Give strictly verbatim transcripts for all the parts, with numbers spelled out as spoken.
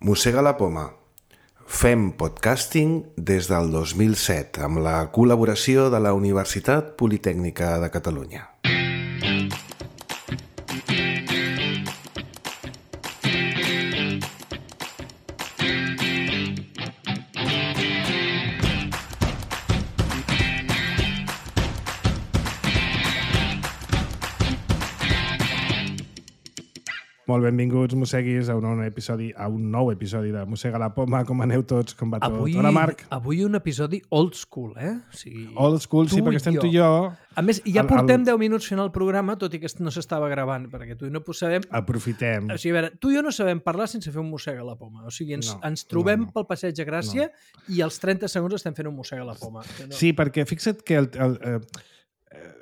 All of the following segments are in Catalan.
Mossega la poma. Fem podcasting des del dos mil set amb la col·laboració de la Universitat Politècnica de Catalunya. Molt benvinguts, mosseguis, a un nou episodi, a un nou episodi de Mossega la poma. Com aneu tots? Com va tot? Avui, Hola, Marc. Avui un episodi old school, eh? O sigui, old school, sí, perquè estem tu i jo. A més, ja el, portem el... deu minuts fent el programa, tot i que no s'estava gravant, perquè tu i no sabem... Aprofitem. O sigui, a veure, tu i jo no sabem parlar sense fer un mossega a la poma. O sigui, ens, no, ens trobem no, no. pel passeig de Gràcia no. i als trenta segons estem fent un mossega a la poma. No. Sí, perquè fixa't que el... el eh, eh,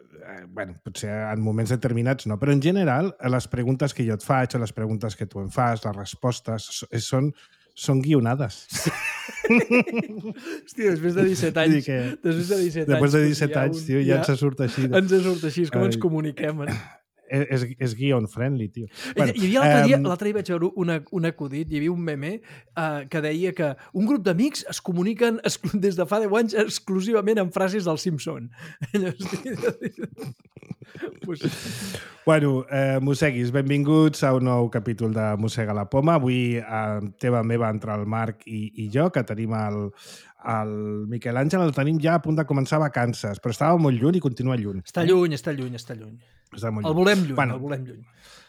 bueno, potser en moments determinats no, però en general les preguntes que jo et faig o les preguntes que tu em fas, les respostes, són, són guionades. Sí. Hòstia, després de disset anys... Que, després de disset després de anys, disset anys, tio, ja, ja ens surt així. De... Ens surt així, és com Ai. ens comuniquem. Eh? És, és guion friendly, tio. Bueno, hi havia l'altre dia, um... l'altre dia vaig veure una, un acudit, hi havia un meme uh, que deia que un grup d'amics es comuniquen des de fa deu anys exclusivament amb frases del Simpson. pues... Bueno, eh, mosseguis, benvinguts a un nou capítol de Mossega la poma. Avui eh, teva meva entre el Marc i, i jo, que tenim el, el Miquel Àngel, el tenim ja a punt de començar vacances, però estava molt lluny i continua lluny. Està lluny, està lluny, està lluny. Està molt el volem lluny, bueno, el volem lluny.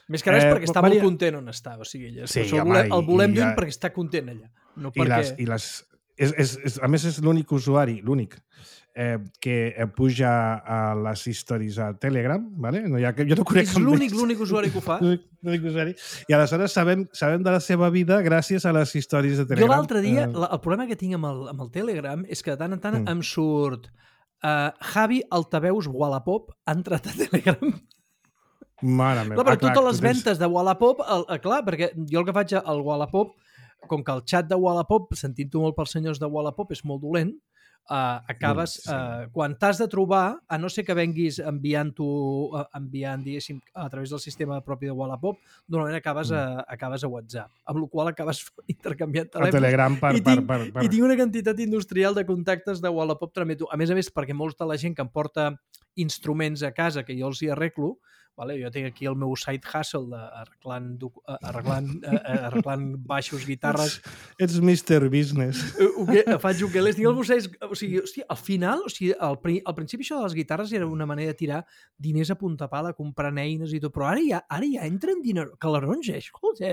Més que res eh, perquè està Maria... molt content on està. O sigui, ella, sí, el, volem, el volem lluny ja... perquè està content allà. No I perquè... les, i les, és, és, és, a més, és l'únic usuari, l'únic, eh, que puja a les stories a Telegram, ¿vale? No hi ha, jo no conec és l'únic, l'únic usuari que ho fa. l'únic usuari. I aleshores sabem, sabem de la seva vida gràcies a les stories de Telegram. Jo l'altre dia, eh... el problema que tinc amb el, amb el Telegram és que de tant en tant mm. em surt uh, Javi Altaveus Wallapop ha entrat a Telegram. Mare meva. Clar, però ah, clar, totes les tens... ventes de Wallapop, el, el, clar, perquè jo el que faig al Wallapop, com que el xat de Wallapop, sentint-ho molt pels senyors de Wallapop, és molt dolent, uh, acabes, sí. uh, quan t'has de trobar, a no ser que venguis enviant-ho, uh, enviant, diguéssim, a través del sistema propi de Wallapop, normalment acabes, mm. a, acabes a WhatsApp, amb la qual acabes intercanviant telèfons. A Telegram per, I tinc, per, per, per... I tinc una quantitat industrial de contactes de Wallapop trameto. A més a més, perquè molta la gent que em porta instruments a casa que jo els hi arreglo, vale? Jo tinc aquí el meu side hustle de arreglant, arreglant, arreglant baixos, guitarres. Ets mister Business. Uke, faig ukeles. Tinc el musseig, o sigui, hòstia, al final, o sigui, al, al principi això de les guitarres era una manera de tirar diners a punta pala, comprant eines i tot, però ara ja, ara ja entren diners, calarons, eh? Escolta,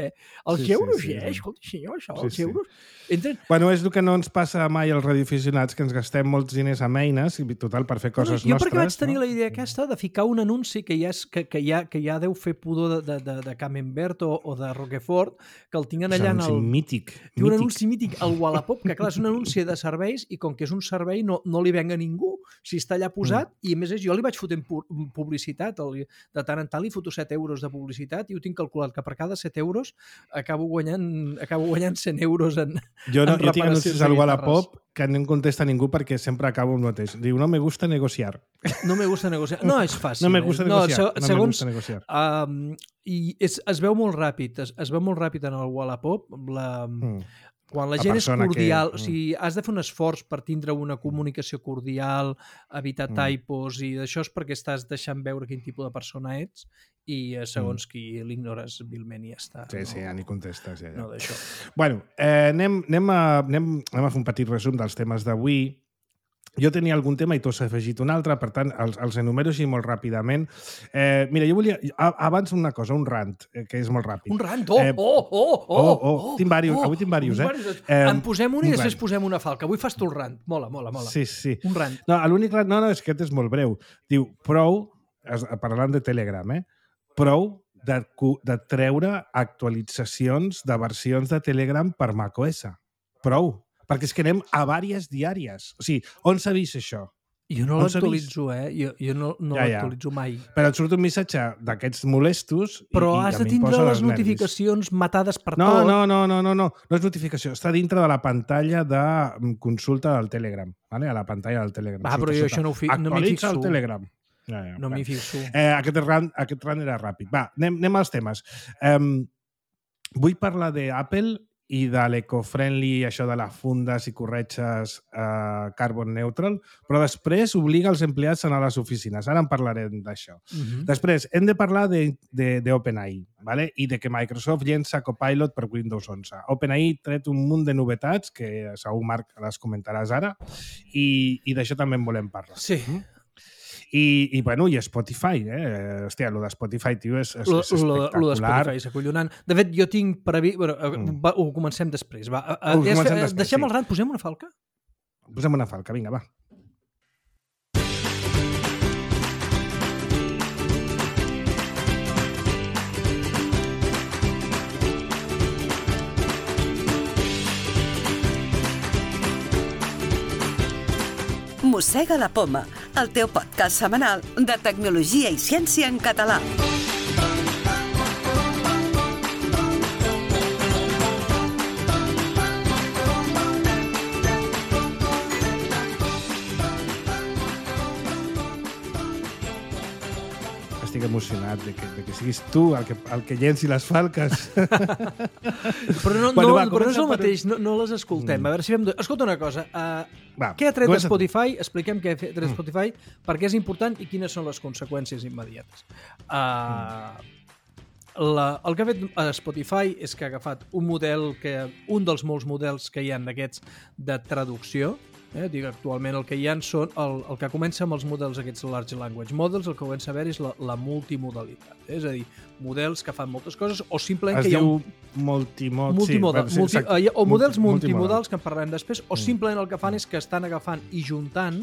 els sí, euros, sí, sí, eh? Escolta, senyor, això, sí, els sí. euros... Entren... Bueno, és el que no ens passa mai als radioaficionats, que ens gastem molts diners amb eines, i total, per fer coses no, jo nostres. Jo perquè vaig tenir no? la idea aquesta de ficar un anunci que ja, és, que, que ja, que ja deu fer pudor de, de, de, de Camembert o, o de Roquefort, que el tinguin allà en el... mític. Té un anunci mític al Wallapop, que clar, és un anunci de serveis i com que és un servei no, no li venga a ningú. Si està allà posat, mm. i a més és, jo li vaig fotent publicitat, el, de tant en tant li foto set euros de publicitat i ho tinc calculat que per cada set euros acabo guanyant, acabo guanyant cent euros en, jo no, en jo tinc anuncis al Wallapop que no em contesta ningú perquè sempre acabo el mateix. Diu, no me gusta negociar. No me gusta negociar. No, és fàcil. No me gusta eh? negociar. No, no segons, me gusta negociar. Um, I és, es veu molt ràpid. Es, es veu molt ràpid en el Wallapop. La, mm. Quan la, la gent és cordial, que... o sigui, has de fer un esforç per tindre una comunicació cordial, evitar mm. typos, i d'això és perquè estàs deixant veure quin tipus de persona ets i segons mm. qui l'ignores vilment i ja està. Sí, no? sí, ja ni contestes. Ja, ja. No, d'això. Bueno, eh, anem, anem, a, anem, anem a fer un petit resum dels temes d'avui. Jo tenia algun tema i tu has afegit un altre, per tant, els, els enumero així molt ràpidament. Eh, mira, jo volia... Abans una cosa, un rant, eh, que és molt ràpid. Un rant? Oh, eh, oh, oh, oh, oh, oh! Tinc diversos, oh, avui tinc diversos, eh? eh en posem un i un després rant. Posem una falca. Avui fas tu el rant. Mola, mola, mola. Sí, sí. Un rant. No, l'únic rant... No, no, és que aquest és molt breu. Diu, prou, parlant de Telegram, eh? Prou de, de treure actualitzacions de versions de Telegram per macOS. Prou. Perquè és que anem a vàries diàries. O sigui, on s'ha vist això? Jo no l'actualitzo, eh? Jo, jo no, no ja, ja. l'actualitzo mai. Però et surt un missatge d'aquests molestos... Però i, has i de tindre les nervis. notificacions matades per no, tot. No, no, no, no, no. No és notificació. Està dintre de la pantalla de consulta del Telegram. Vale? A la pantalla del Telegram. Ah, però jo això no, fi... no m'hi fixo. Actualitza el Telegram. Ja, ja, no m'hi fixo. Eh, aquest, rant, aquest rant era ràpid. Va, anem, anem als temes. Um, vull parlar d'Apple i de l'eco-friendly, això de les fundes i corretges eh, carbon neutral, però després obliga els empleats a anar a les oficines. Ara en parlarem d'això. Uh-huh. Després, hem de parlar d'OpenAI, ¿vale? I de que Microsoft llença Copilot per Windows onze. OpenAI ha tret un munt de novetats, que segur, Marc, les comentaràs ara, i, i d'això també en volem parlar. Sí. Mm? I, i, bueno, i Spotify, eh? Hòstia, lo de Spotify, tio, és, és, Lo, és lo, espectacular. lo de Spotify és acollonant. De fet, jo tinc previst... Bueno, mm. va, ho comencem després. Va. Ho comencem és, després, deixem sí. el ran, posem una falca? Posem una falca, vinga, va. Mossega la poma, el teu podcast setmanal de tecnologia i ciència en català. Estic emocionat de que, de que siguis tu el que, el que llenci les falques. Però no, Bueno, no, va, però no és el comença per- mateix, no, no les escoltem. A veure si fem... Escolta una cosa, uh, Va, què ha tret comença tu. Spotify? Expliquem què ha tret Spotify, per què és important i quines són les conseqüències immediates. Uh, la, el que ha fet Spotify és que ha agafat un model, que un dels molts models que hi ha d'aquests de traducció. Eh? Dic, actualment el que hi ha són el, el que comença amb els models aquests large language models, el que comença a veure és la, la multimodalitat, eh? És a dir, models que fan moltes coses o simplement Es que hi ha diu un multimod... multimodal, sí, multi, exacte. eh, o models Multi- multimodals que en parlarem després, o Mm. simplement el que fan és que estan agafant i juntant,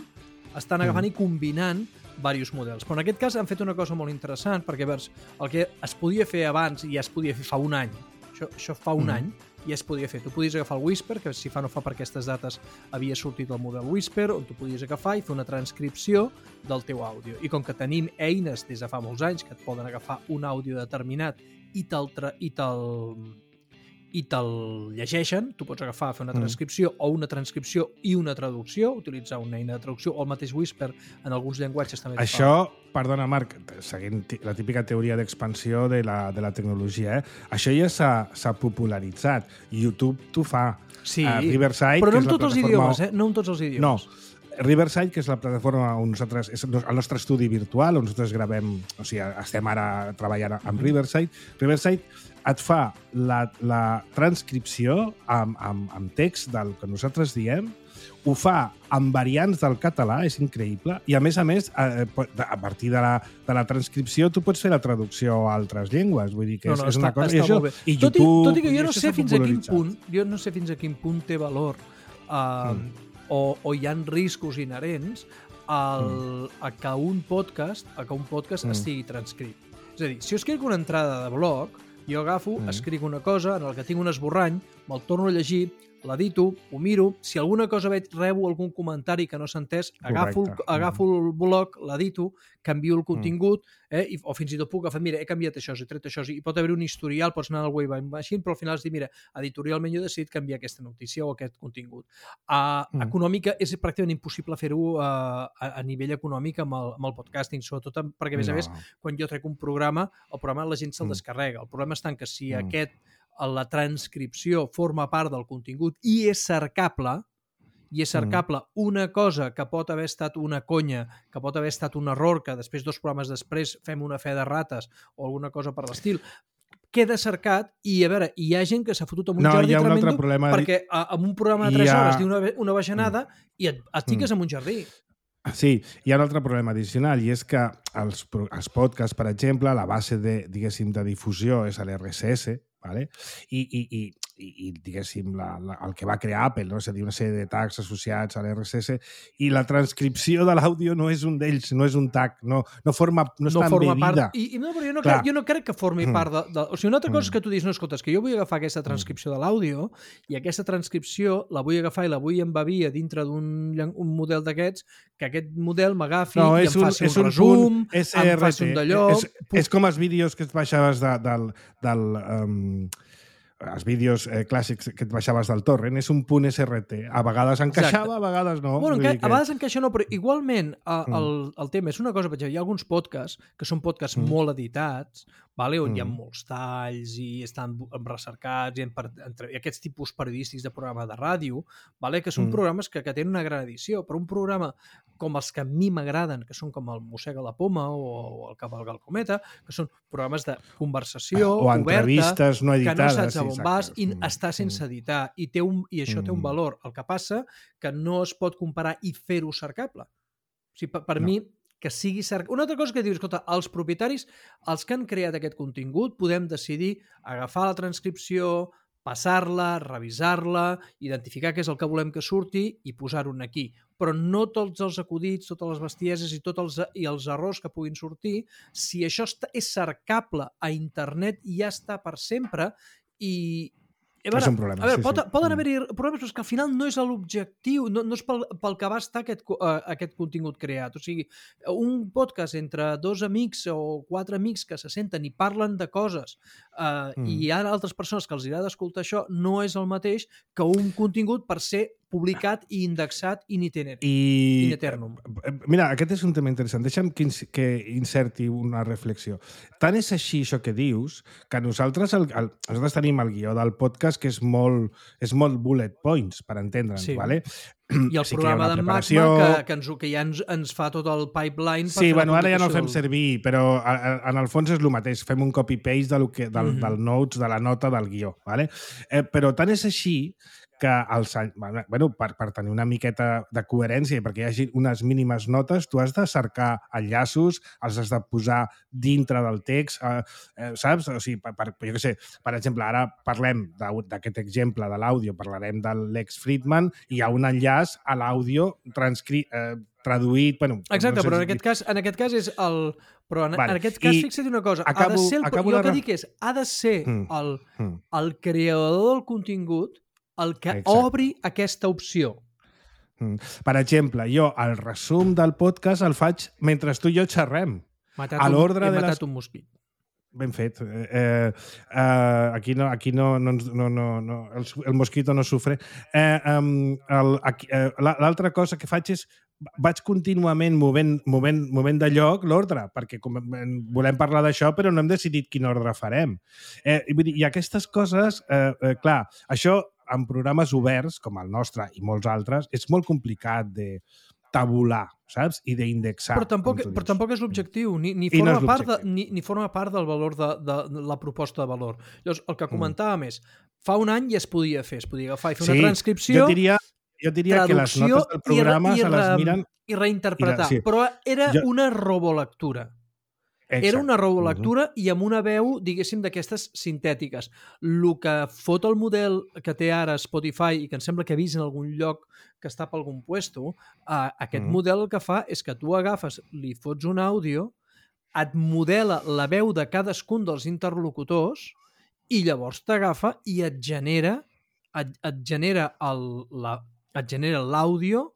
estan agafant i combinant diversos models. Però en aquest cas han fet una cosa molt interessant, perquè veus, el que es podia fer abans i ja es podia fer fa un any, això, això fa un Mm. any, ja es podia fer. Tu podies agafar el Whisper, que si fa no fa per aquestes dates havia sortit el model Whisper, on tu podies agafar i fer una transcripció del teu àudio. I com que tenim eines des de fa molts anys que et poden agafar un àudio determinat i te'l tra- i te'l i te'l llegeixen, tu pots agafar, fer una transcripció mm. o una transcripció i una traducció, utilitzar una eina de traducció o el mateix Whisper en alguns llenguatges també. es Això, perdona, Marc, seguint ti- la típica teoria d'expansió de, la, de la tecnologia, eh? Això ja s'ha s'ha popularitzat. YouTube t'ho fa. fa. Sí, Uh, Riverside, però que no és en la tots els plataforma- idiomes, eh? No en tots els idiomes. No, Riverside, que és la plataforma on nosaltres, és el nostre estudi virtual, on nosaltres gravem, o sigui, estem ara treballant amb Riverside. Riverside et fa la, la transcripció amb, amb, amb text del que nosaltres diem, ho fa amb variants del català, és increïble, i a més a més, a, a partir de la, de la transcripció, tu pots fer la traducció a altres llengües, vull dir que No, és, no, és una està- cosa... està I, això, molt bé. i Tot i- YouTube... tot i que jo i no això sé s'ha fins a quin popularitzat. punt, jo no sé fins a quin punt té valor uh, mm. o, o hi han riscos inherents al, mm. a que un podcast, a que un podcast mm. estigui transcrit. És a dir, si jo escric una entrada de blog, jo agafo, mm. escric una cosa en el que tinc un esborrany, me'l torno a llegir, l'edito, ho miro, si alguna cosa veig, rebo algun comentari que no s'ha entès, agafo, el, Correcte. agafo el blog, l'edito, canvio el contingut, eh, i, o fins i tot puc agafar, mira, he canviat això, he tret això, i pot haver un historial, pots anar al Wayback Machine, però al final has dit, mira, editorialment jo he decidit canviar aquesta notícia o aquest contingut. Uh, Mm. Econòmica, és pràcticament impossible fer-ho uh, a, a nivell econòmic amb el, amb el podcasting, sobretot amb, perquè, a més a més, No. quan jo trec un programa, el programa la gent se'l Mm. descarrega. El problema està en que si Mm. aquest, la transcripció forma part del contingut i és cercable, i és cercable una cosa que pot haver estat una conya, que pot haver estat un error, que després, dos programes després, fem una fe de rates o alguna cosa per l'estil, queda cercat i, a veure, hi ha gent que s'ha fotut amb un No, jardí hi ha un altre tremendo problema. perquè a, amb un programa de Hi tres ha- hores diu una, una bajanada i et, et fiques en un jardí. Sí, hi ha un altre problema addicional i és que els, pro- els podcasts, per exemple, la base de, diguéssim, de difusió és l'R S S, ¿vale? I, i, i, i, i diguéssim, la, la, el que va crear Apple, no? És a dir, una sèrie de tags associats a l'R S S, i la transcripció de l'àudio no és un d'ells, no és un tag, no, no, forma, no, no està forma embebida. part... I, i no, però jo no, Clar. crec, jo no crec que formi Mm. part de, de... O sigui, una altra cosa Mm. és que tu dius, no, escolta, és que jo vull agafar aquesta transcripció de l'àudio i aquesta transcripció la vull agafar i la vull embebir a dintre d'un llen- un model d'aquests, que aquest model m'agafi No, i és em un, faci és un, un resum, punt S R T. em faci un d'allò... És, és com els vídeos que et baixaves de, del... del um, els vídeos eh, clàssics que et baixaves del torrent, és un punt S R T. A vegades encaixava, Exacte. a vegades no. Bueno, Vull que, dir a vegades encaixa no, però igualment a, Mm. el, el tema és una cosa, per exemple, hi ha alguns podcasts que són podcasts Mm. molt editats, vale? On mm. hi ha Mm. molts talls i estan recercats, i, per, entre, i aquests tipus periodístics de programa de ràdio, vale? Que són Mm. programes que, que tenen una gran edició, però un programa com els que a mi m'agraden, que són com el Mossega la Poma o, o el Cavalga el Cometa, que són programes de conversació o oberta, entrevistes no editades, que no saps a on sí, vas i mm. està sense editar, i, té un, i això mm. té un valor. El que passa que no es pot comparar i fer-ho cercable. O sigui, per, per no. mi, que sigui cercable... Una altra cosa que dius, escolta, els propietaris, els que han creat aquest contingut, podem decidir agafar la transcripció, passar-la, revisar-la, identificar què és el que volem que surti i posar-ho aquí. Però no tots els acudits, totes les bestieses i tots els, i els errors que puguin sortir, si això està, és cercable a internet, ja està per sempre i... A veure, és un problema, a veure sí, pot, sí. poden haver-hi problemes, però és que al final no és l'objectiu, no, no és pel, pel que va estar aquest, uh, aquest contingut creat. O sigui, un podcast entre dos amics o quatre amics que se senten i parlen de coses uh, mm. i hi ha altres persones que els agrada escoltar això, no és el mateix que un contingut per ser publicat i indexat in iterum. I... In eternum. Mira, aquest és un tema interessant. Deixa'm que, que inserti una reflexió. Tant és així això que dius, que nosaltres, el, el, nosaltres tenim el guió del podcast que és molt, és molt bullet points, per entendre'ns, sí. vale? I el sí programa d'en preparació... Magma, que, que, ens, que ja ens, ens fa tot el pipeline... Per sí, fer bueno, ara ja no el fem del... servir, però a, a, en el fons és el mateix. Fem un copy-paste del, que, del, mm-hmm. del notes, de la nota del guió. Vale? Eh, però tant és així que els, bueno, per, per tenir una miqueta de coherència i perquè hi hagi unes mínimes notes, tu has de cercar enllaços, els has de posar dintre del text, eh, eh, saps? O sigui, per, per, jo què sé, per exemple, ara parlem d'aquest exemple de l'àudio, parlarem de Lex Fridman, i hi ha un enllaç a l'àudio transcrit, eh, traduït... Bueno, exacte, no sé però si... en aquest cas, en aquest cas és el... Però en, vale. en aquest cas, I fixa't una cosa, acabo, ha de ser el, jo el que dic és, ha de ser mm. el, Mm. el creador del contingut el que exacte. obri aquesta opció. Mm. Per exemple, jo el resum del podcast el faig mentre tu i jo xerrem. Matat a l'ordre un, de matat les... un mosquit. Ben fet. Eh, eh, aquí no, aquí no, no, no, no, no el, el mosquito no sufre. Eh, um, eh, L'altra cosa que faig és vaig contínuament movent, movent, movent de lloc l'ordre, perquè com, volem parlar d'això, però no hem decidit quin ordre farem. Eh, i, I aquestes coses, eh, eh, clar, això en programes oberts, com el nostre i molts altres, és molt complicat de tabular, saps? I d'indexar. Però tampoc, però tampoc és l'objectiu, ni, ni, forma no part de, ni, ni forma part del valor de, de, de la proposta de valor. Llavors, el que comentàvem mm. és, fa un any ja es podia fer, es podia agafar i fer sí, una transcripció, jo diria, jo diria que les notes del programa i, i, se les miren... I reinterpretar, I, sí. però era jo... una robolectura. Exacte. Era una robolectura uh-huh. i amb una veu, diguéssim, d'aquestes sintètiques. El que fot el model que té ara Spotify i que em sembla que he vist en algun lloc que està per algun puesto, uh, aquest uh-huh. model el que fa és que tu agafes, li fots un àudio, et modela la veu de cadascun dels interlocutors i llavors t'agafa i et genera et, et genera el, la, et genera l'àudio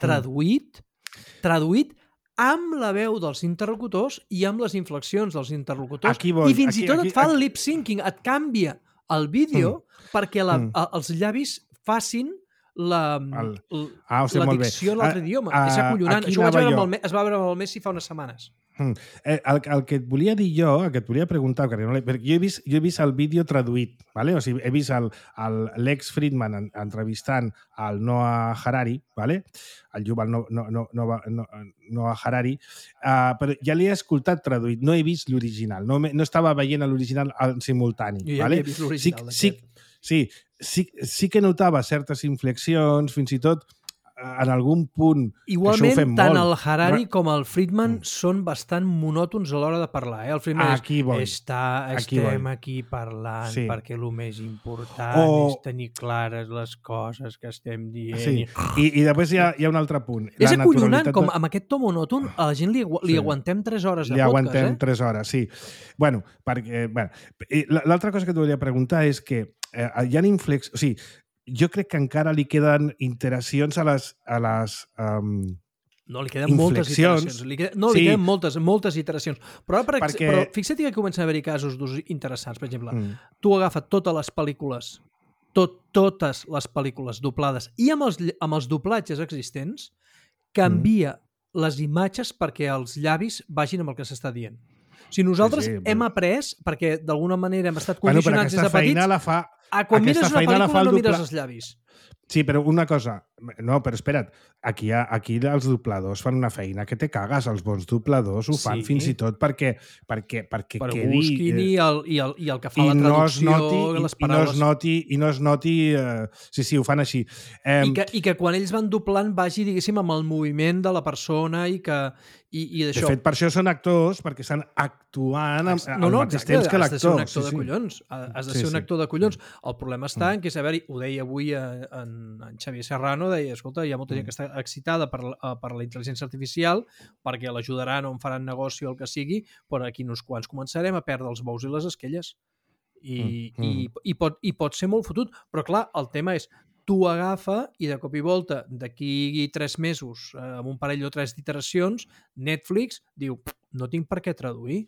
traduït, uh-huh. traduït amb la veu dels interlocutors i amb les inflexions dels interlocutors. Voy, I fins aquí, i tot aquí, et fa aquí. el lip-syncing, et canvia el vídeo mm. perquè la, mm. els llavis facin la, el... ah, o sigui, la dicció en l'altre idioma. Uh, és acollonant. Això ho vaig veure amb el, es va veure amb el Messi fa unes setmanes. Mm. Eh, el, el que et volia dir jo, el que et volia preguntar, perquè, no, perquè jo, he vist, jo he vist el vídeo traduït, ¿vale? O sigui, he vist el, el Lex Fridman en, entrevistant al Noah Harari, ¿vale? El Yuval no, no, no, no, no, Noah Harari, uh, però ja l'he escoltat traduït, no he vist l'original, no, no estava veient l'original en simultani. Jo ja ¿vale? he vist l'original. Sí, sí, sí, sí, sí que notava certes inflexions, fins i tot en algun punt... Igualment, això ho fem tant molt. el Harari com el Friedman mm. són bastant monòtons a l'hora de parlar. Eh? El Friedman aquí és, està, aquí estem voy. aquí parlant sí. perquè el més important o... és tenir clares les coses que estem dient. Sí. I, i després hi ha, hi ha un altre punt. És la acollonant, com amb aquest to monòton a la gent li, li sí. aguantem tres hores de li podcast. Li aguantem eh? tres hores, sí. Bueno, perquè... Bueno, l'altra cosa que et volia preguntar és que eh, hi ha inflex... O sigui, jo crec que encara li queden iteracions a les... A les um, no, li queden moltes iteracions. Li queden, no, sí. li queden moltes, moltes iteracions. Però, per, Perquè... però fixa't que comencen a haver-hi casos d'ús interessants. Per exemple, mm. tu agafes totes les pel·lícules, tot, totes les pel·lícules doblades i amb els, amb els doblatges existents, canvia mm. les imatges perquè els llavis vagin amb el que s'està dient. Si nosaltres Sí, sí, hem però- après, perquè d'alguna manera hem estat Bueno, però condicionats des aquesta de feina petits, la fa... a quan aquesta mires una feina la fa pel·lícula el no mires dobla- els llavis. Sí, però una cosa... No, però espera't. Aquí, ha, aquí els dobladors fan una feina que te cagues. Els bons dobladors ho fan Sí. fins i tot perquè, perquè, perquè Per quedi... busquin i, el, i, el, i el que fa i la no es traducció, noti, i, les i no paraules... es noti, i no es noti eh, sí, sí, ho fan així. Eh, I que, I que quan ells van doblant vagi, diguéssim, amb el moviment de la persona i que i, i de d'això. fet, per això són actors, perquè estan actuant amb, No, al no, mateix exacte, temps que has de ser un l'actor. actor Sí, de sí. collons. Has de Sí, ser un sí. actor de collons. El problema està en que, a veure, ho deia avui en, en, en Xavier Serrano, deia, escolta, hi ha molta gent que està excitada per, la- per la intel·ligència artificial perquè l'ajudaran o en faran negoci o el que sigui, però aquí uns quants començarem a perdre els bous i les esquelles. I, Mm, i, i, pot, i pot ser molt fotut, però clar, el tema és tu agafa i de cop i volta d'aquí tres mesos, eh, amb un parell o tres d'iteracions, Netflix diu, no tinc per què traduir.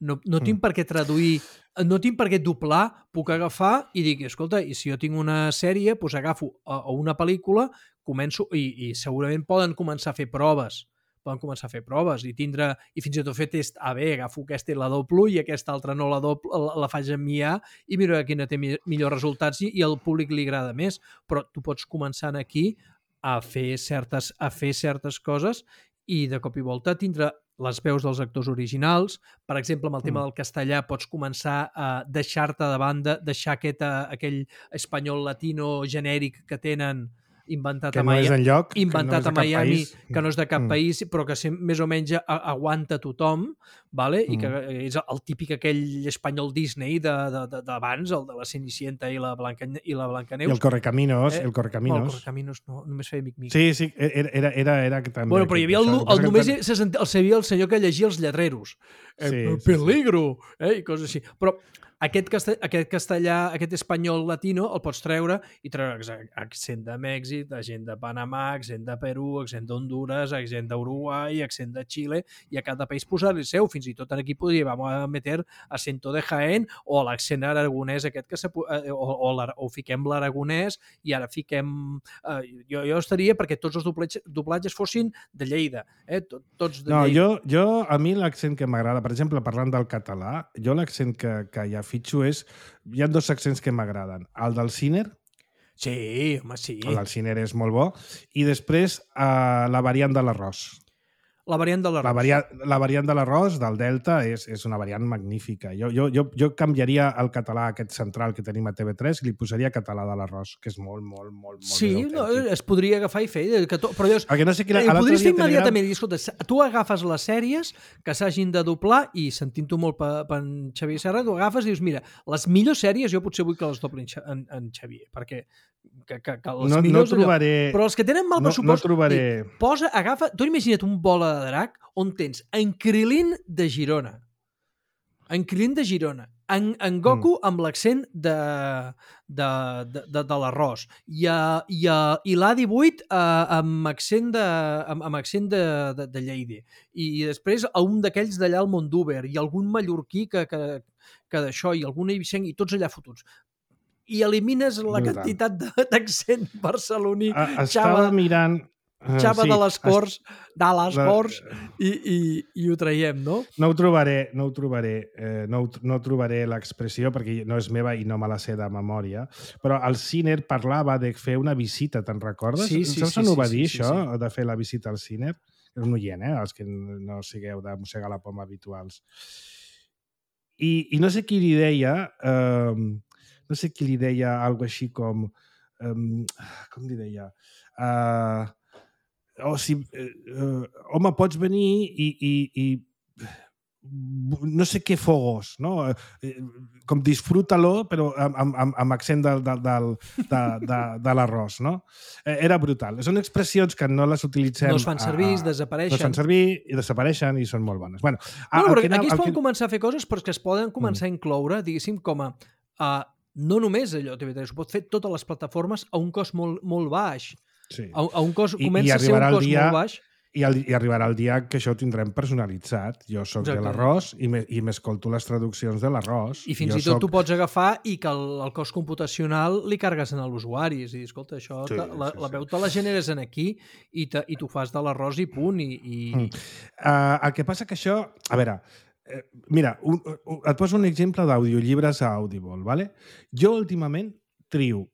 No, no tinc Mm. per què traduir, no tinc per què doblar, puc agafar i dir, escolta, i si jo tinc una sèrie, doncs agafo o o una pel·lícula, començo, i, i segurament poden començar a fer proves, poden començar a fer proves i tindre, i fins i tot fer test A B, agafo aquesta i la doblo i aquesta altra no la doblo, la, la faig en I A i miro quina té mi- millors resultats i, i al públic li agrada més, però tu pots començar aquí a fer certes, a fer certes coses i de cop i volta tindre les veus dels actors originals. Per exemple, amb el tema Mm. del castellà pots començar a deixar-te de banda, deixar aquest, eh, aquell espanyol latino genèric que tenen inventat Que a no és Miami, enlloc, que no inventat és de a cap Miami, país. que no és de cap Mm. país, però que sem- més o menys a, aguanta tothom, vale? I que Mm. és el típic aquell espanyol Disney de- de- de- d'abans, el de la Cenicienta i la, Blanca, i la I Blancaneus. el Correcaminos, Eh, el Bueno, el Correcaminos. Correcaminos no, només feia mic-mic. Sí, sí, era, era, era, era que també... Bueno, però hi havia el, això, el, que passa el que només tant- se sentia, el sabia el senyor que llegia els lletreros. Eh, Sí, sí, peligro! Eh, I coses així. Però aquest, castell, aquest castellà, aquest espanyol latino, el pots treure i treure ex- accent de Mèxic, accent de Panamà, accent de Perú, accent d'Honduras, accent d'Uruguai, accent de Xile, i a cada país posar-li el seu. Fins i tot aquí podríem meter acento de Jaén o l'accent aragonès aquest que se, eh, o, o, l'ara- o fiquem l'aragonès i ara fiquem... Eh, jo, jo estaria perquè tots els doblatges, doblatges fossin de Lleida, eh? Tot, tots de No, Lleida. jo, jo, a mi l'accent que m'agrada, per exemple, parlant del català, jo l'accent que, que ja fitxo és... Hi ha dos accents que m'agraden. El del Ciner, Sí, home, sí. el del Ciner és molt bo, i després eh, la variant de l'arròs. La variant de l'arròs. La, variant, la variant de l'arròs del Delta és, és una variant magnífica. Jo, jo, jo, jo canviaria el català aquest central que tenim a T V tres i li posaria català de l'arròs, que és molt, molt, molt, molt Sí, més no, autèntic. es podria agafar i fer, eh, que to, però llavors, Perquè no sé quina... eh, ho l'altre podries dia fer Telegram- immediatament i dir, escolta, tu agafes les sèries que s'hagin de doblar i sentint-ho molt per, per en Xavier Serra, tu agafes i dius, mira, les millors sèries jo potser vull que les dobli en, Xa- en, en Xavier, perquè que, que, que les No, no millors... allò- trobaré... Però els que tenen mal no, no pressupost, trobaré... dic, posa, agafa, tu imagina't un bola de drac on tens en Krilin de Girona, en Krilin de Girona, en, en Goku mm. amb l'accent de, de, de, de, de l'arròs, i, a, i, a, i l'A divuit eh, amb accent de, amb, amb accent de, de, de Lleida, i, i després a un d'aquells d'allà al Mondúber, i algun mallorquí que, que, que d'això, i algun eivissenc, i tots allà fotuts. I elimines la Brutal. quantitat de- d'accent barceloní, Ah, estava xava, mirant... ah, xava sí, de les est- Corts, de les la- Corts, i, i, i ho traiem, no? No ho trobaré, no ho trobaré, eh, no, ho- no trobaré l'expressió perquè no és meva i no me la sé de memòria, però el Ciner parlava de fer una visita, te'n recordes? Sí, sí, Saps sí, on ho sí, va sí, dir, sí, això, sí. de fer la visita al Ciner? És un oient, eh? Els que no sigueu de mossegar la poma habituals. I, i no sé qui li deia, eh, no sé qui li deia algo així com, eh, com li deia? Eh, o si, eh, eh, home, pots venir i, i, i no sé què fogos, no? Eh, com disfruta-lo, però amb, amb, amb accent del, del, del, de, de, de l'arròs, no? Eh, era brutal. Són expressions que no les utilitzem... No es fan servir, es No desapareixen. es fan servir i desapareixen i són molt bones. Bueno, No, el però que anava- aquí es el poden que- començar a fer coses però és que es poden començar a incloure, diguéssim, com a... a no només allò T V tres, ho pot fer totes les plataformes a un cost molt, molt baix. Sí. A, a un cost, I- i comença a ser un arribarà el cost dia- molt baix. I, el, I arribarà el dia que això ho tindrem personalitzat. Jo sóc de Exacte. l'arròs i me- i m'escolto les traduccions de l'arròs. I fins jo i tot soc... tu pots agafar i que el, el cost computacional li cargues en l'usuari. És a dir, escolta, això, Sí, te- la, sí, la sí. veu te la generes en aquí i, te, i tu fas de l'arròs i punt. I, i... Mm. Uh, el que passa que això... A veure, Eh, mira, un, un, et poso un exemple d'audiollibres a Audible, ¿vale? Jo últimament trio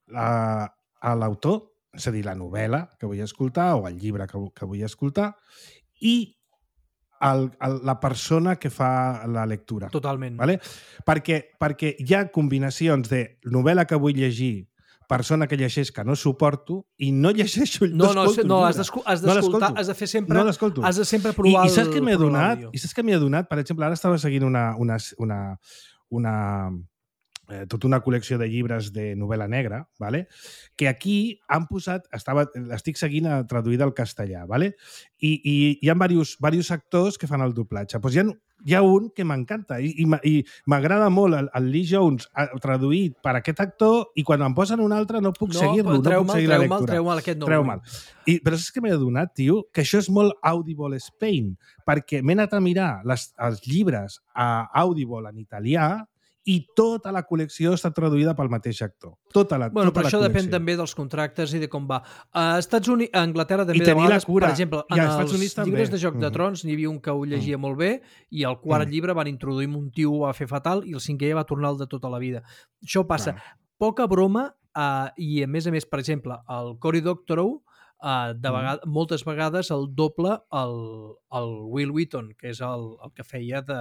la, a l'autor, és a dir, la novel·la que vull escoltar o el llibre que, que vull escoltar i el, el, la persona que fa la lectura. Totalment. ¿Vale? Perquè, perquè hi ha combinacions de novel·la que vull llegir, persona que llegeix que no suporto i no llegeixo el no, no, no, no, has d'escoltar, has de fer sempre, no l'escolto. Has de sempre provar I, i saps què m'he el, adonat? I saps què m'he adonat? Per exemple, ara estava seguint una, una, una, una eh, tota una col·lecció de llibres de novel·la negra, ¿vale? Que aquí han posat, estava, l'estic seguint a, traduïda al castellà, ¿vale? I, i hi ha diversos, diversos actors que fan el doblatge. Pues hi ha, hi ha un que m'encanta i, i, i m'agrada molt el, el Lee Jones traduït per aquest actor i quan em posen un altre no puc no, seguir-lo, no puc seguir la lectura. Treu mal aquest no. Treu mal. I, però saps què m'he adonat, tio? Que això és molt Audible Spain, perquè m'he anat a mirar les, els llibres a Audible en italià i tota la col·lecció està traduïda pel mateix actor. Tota la, bueno, tota però la això col·lecció. Depèn també dels contractes i de com va. A Estats Units, a Anglaterra també I de vegades, cura. per exemple, en els llibres també. de Joc de Trons n'hi havia un que ho llegia mm. molt bé i al quart mm. llibre van introduir un tio ho va fer fatal i el cinquè ja va tornar el de tota la vida. Això passa. Clar. Poca broma uh, i a més a més, per exemple, el Cory Doctorow uh, de vegades, mm. moltes vegades el doble el, el Will Wheaton, que és el, el que feia de,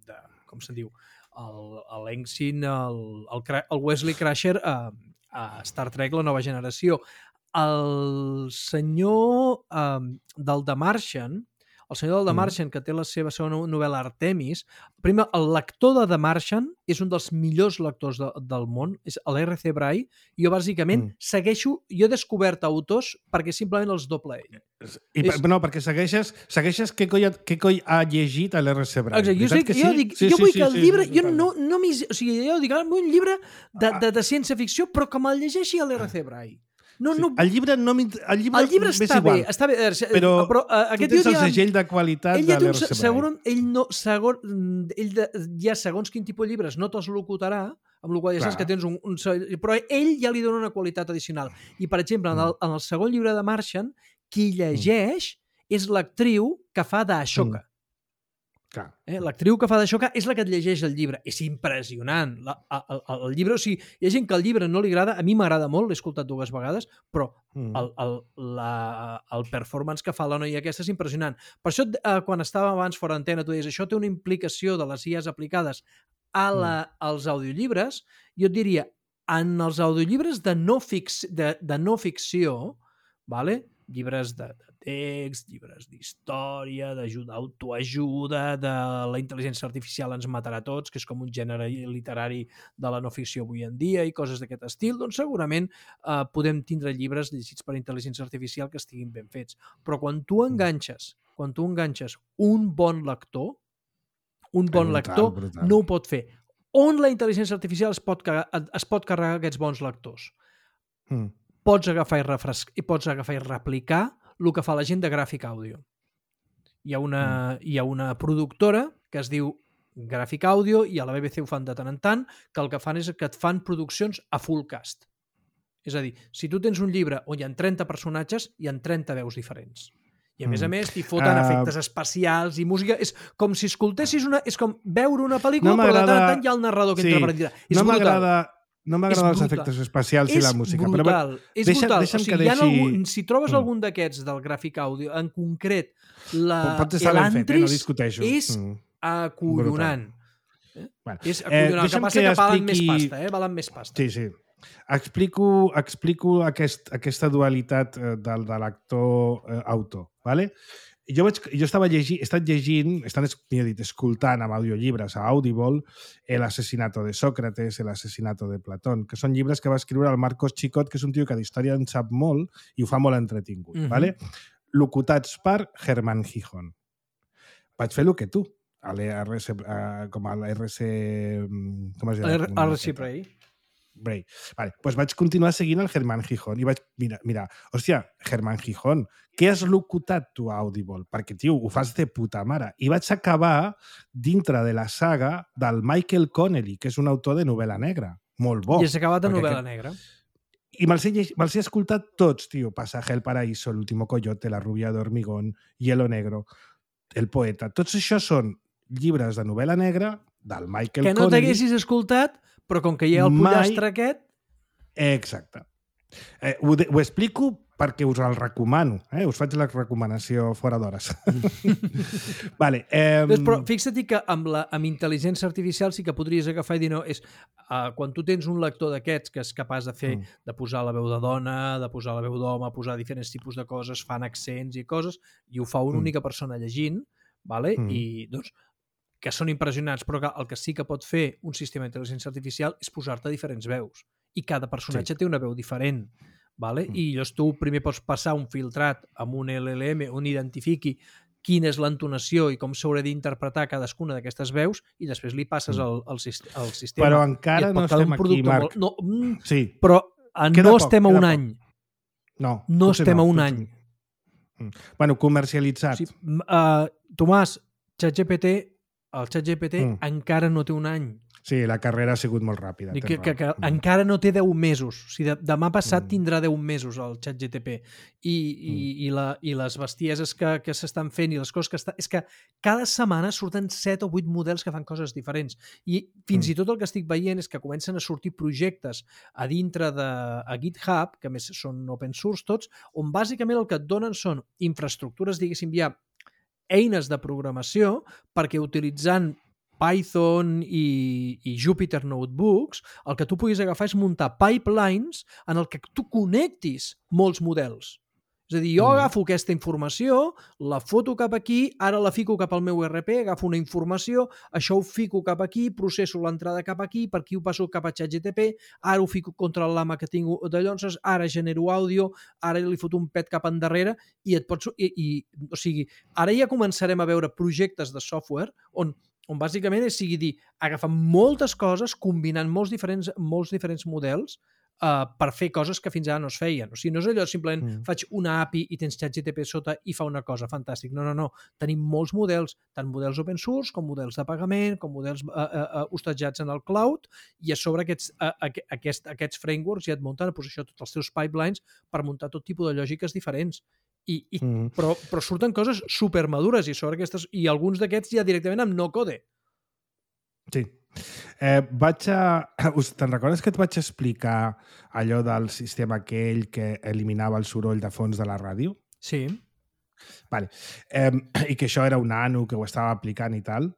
de com se'n diu, l'Ensign, el, el, el Wesley Crusher a, a Star Trek La Nova Generació. El senyor um, del The Martian, el senyor del The Martian, que té la seva segona novel·la Artemis, primer, el lector de The Martian és un dels millors lectors de, del món, és l'R C Bray, i jo bàsicament mm. segueixo, jo he descobert autors perquè simplement els doble ell. I, és... No, perquè segueixes, segueixes què coi, què coi ha llegit l'R C Bray. Exacte, jo, dic, jo, sí? dic, sí, jo vull sí, que el sí, llibre, sí, jo no, no m'hi... O sigui, jo dic, un llibre de, de, de ciència-ficció, però que me'l llegeixi l'R C Bray. No, sí. no... El llibre no el llibre, el llibre està bé, està bé, però, però uh, aquest tu tens el segell de qualitat ell de l'R C Bray. Segon, ell no, segon, ell de, ja segons quin tipus de llibres no te'ls locutarà, amb la qual ja saps que tens un, un... Però ell ja li dona una qualitat addicional. I, per exemple, en el, en el segon llibre de Martian, qui llegeix mm. és l'actriu que fa d'Ashoka. Mm. Eh? L'actriu que fa d'Ashoka és la que et llegeix el llibre. És impressionant. La, el, el, el llibre, o sigui, hi ha gent que el llibre no li agrada, a mi m'agrada molt, l'he escoltat dues vegades, però mm. el, el, la, el performance que fa la noia aquesta és impressionant. Per això, eh, quan estava abans fora d'antena, tu deies, això té una implicació de les I As aplicades a la, mm. als audiollibres. Jo et diria, en els audiollibres de no, fix, de, de no ficció, vale? Llibres de, de text, llibres d'història, d'autoajuda, de la intel·ligència artificial ens matarà tots, que és com un gènere literari de la no ficció avui en dia i coses d'aquest estil, doncs segurament eh, podem tindre llibres llegits per intel·ligència artificial que estiguin ben fets. Però quan tu enganxes, quan tu enganxes un bon lector, un bon brutal, lector brutal. No ho pot fer. On la intel·ligència artificial es pot, es pot carregar aquests bons lectors? Mm. Pots agafar i, refrescar, i pots agafar i replicar el que fa la gent de Graphic Audio. Hi ha una, mm. hi ha una productora que es diu Graphic Audio i a la B B C ho fan de tant en tant, que el que fan és que et fan produccions a full cast. És a dir, si tu tens un llibre on hi ha trenta personatges, hi ha trenta veus diferents. I a més a més t'hi foten uh, efectes especials i música. És com si escoltessis una... És com veure una pel·lícula, no però de tant en tant hi ha el narrador que sí, entra per dir. És no m'agrada... No m'agraden els efectes especials és i la música. Brutal, però és deixa, brutal. Deixa'm o sigui, que deixi... algun, si trobes mm. algun d'aquests del Graphic Audio, en concret, l'Elantris eh? no és mm. acollonant. Eh? Bueno, és acollonant. Eh, el que passa que, que valen expliqui... més pasta, eh? Valen més pasta. Sí, sí. Explico, explico aquest, aquesta dualitat de, de l'actor eh, autor, ¿vale? Jo, vaig, jo estava llegint, he estat llegint, he estat dit, escoltant amb audiollibres a Audible El asesinato de Sócrates, El asesinato de Platón, que són llibres que va escriure el Marcos Chicot, que és un tio que d'història en sap molt i ho fa molt entretingut. Uh-huh. ¿Vale? Locutats per Germán Gijón. Vaig fer el que tu, a l'R C, uh, com a l'R C... Com es diu? R C Bray. Bray. Vale, pues vaig continuar seguint el Germán Gijón i vaig mirar, mira, hòstia, Germán Gijón, què has locutat tu a Audible? Perquè, tio, ho fas de puta mare. I vaig acabar dintre de la saga del Michael Connelly, que és un autor de novel·la negra. Molt bo. I has acabat de novel·la que... negra. I me'ls he, me he escoltat tots, tio. Pasaje al paraíso, El último coyote, La rubia de hormigón, Hielo negro, El poeta. Tots això són llibres de novel·la negra del Michael Que no Connelly. t'haguessis escoltat, però com que hi ha el Mai- pollastre aquest... Exacte. Eh, ho, de, ho explico perquè us el recomano. Eh? Us faig la recomanació fora d'hores. vale, eh, Doncs, però fixa't que amb, la, amb intel·ligència artificial sí que podries agafar i dir, no, és, uh, quan tu tens un lector d'aquests que és capaç de fer, Mm. de posar la veu de dona, de posar la veu d'home, posar diferents tipus de coses, fan accents i coses, i ho fa una Mm. única persona llegint, vale? Mm. I doncs que són impressionants, però que el que sí que pot fer un sistema d'intel·ligència artificial és posar-te diferents veus. I cada personatge Sí. té una veu diferent. Vale? Mm. I llavors tu primer pots passar un filtrat amb un L L M on identifiqui quina és l'entonació i com s'haurà d'interpretar cadascuna d'aquestes veus i després li passes al, al, al sistema. Però I encara et pot no quedar estem un aquí, producte Marc. molt... No, mm, Sí. però eh, Queda no poc, estem a queda un poc. any. No, No potser estem a un potser any. Mm. Bueno, comercialitzat. O sigui, uh, Tomàs, ChatGPT, el ChatGPT Mm. encara no té un any. Sí, la carrera ha sigut molt ràpida. Dic tens que, que, que raó. Mm. encara no té deu mesos. O sigui, de, demà passat Mm. tindrà deu mesos el ChatGPT. I, i, i, la, i les bestieses que, que s'estan fent i les coses que està... És que cada setmana surten set o vuit models que fan coses diferents. I fins Mm. i tot el que estic veient és que comencen a sortir projectes a dintre de a GitHub, que a més són open source tots, on bàsicament el que et donen són infraestructures, diguéssim, ja eines de programació perquè utilitzant Python i, i Jupyter Notebooks, el que tu puguis agafar és muntar pipelines en el que tu connectis molts models. És a dir, jo Mm. agafo aquesta informació, la foto cap aquí, ara la fico cap al meu E R P, agafo una informació, això ho fico cap aquí, processo l'entrada cap aquí, per aquí ho passo cap a ChatGPT, ara ho fico contra el lama que tinc d'allò, ara genero àudio, ara li foto un pet cap endarrere i et pots... I, i, o sigui, ara ja començarem a veure projectes de software on on bàsicament és sigui dir, agafar moltes coses, combinant molts diferents, molts diferents models uh, per fer coses que fins ara no es feien. O sigui, no és allò simplement mm. faig una A P I i tens ChatGPT sota i fa una cosa, fantàstic. No, no, no. Tenim molts models, tant models open source com models de pagament, com models uh, uh, uh, hostatjats en el cloud, i a sobre aquests, uh, aquest, aquests frameworks ja et munten a posició tots els teus pipelines per muntar tot tipus de lògiques diferents. I, i, mm. però, però surten coses supermadures i sobre aquestes i alguns d'aquests ja directament amb no code. Sí. Eh, vaig a... Te'n recordes que et vaig explicar allò del sistema aquell que eliminava el soroll de fons de la ràdio? Sí. Vale. Eh, I que això era un nano que ho estava aplicant i tal.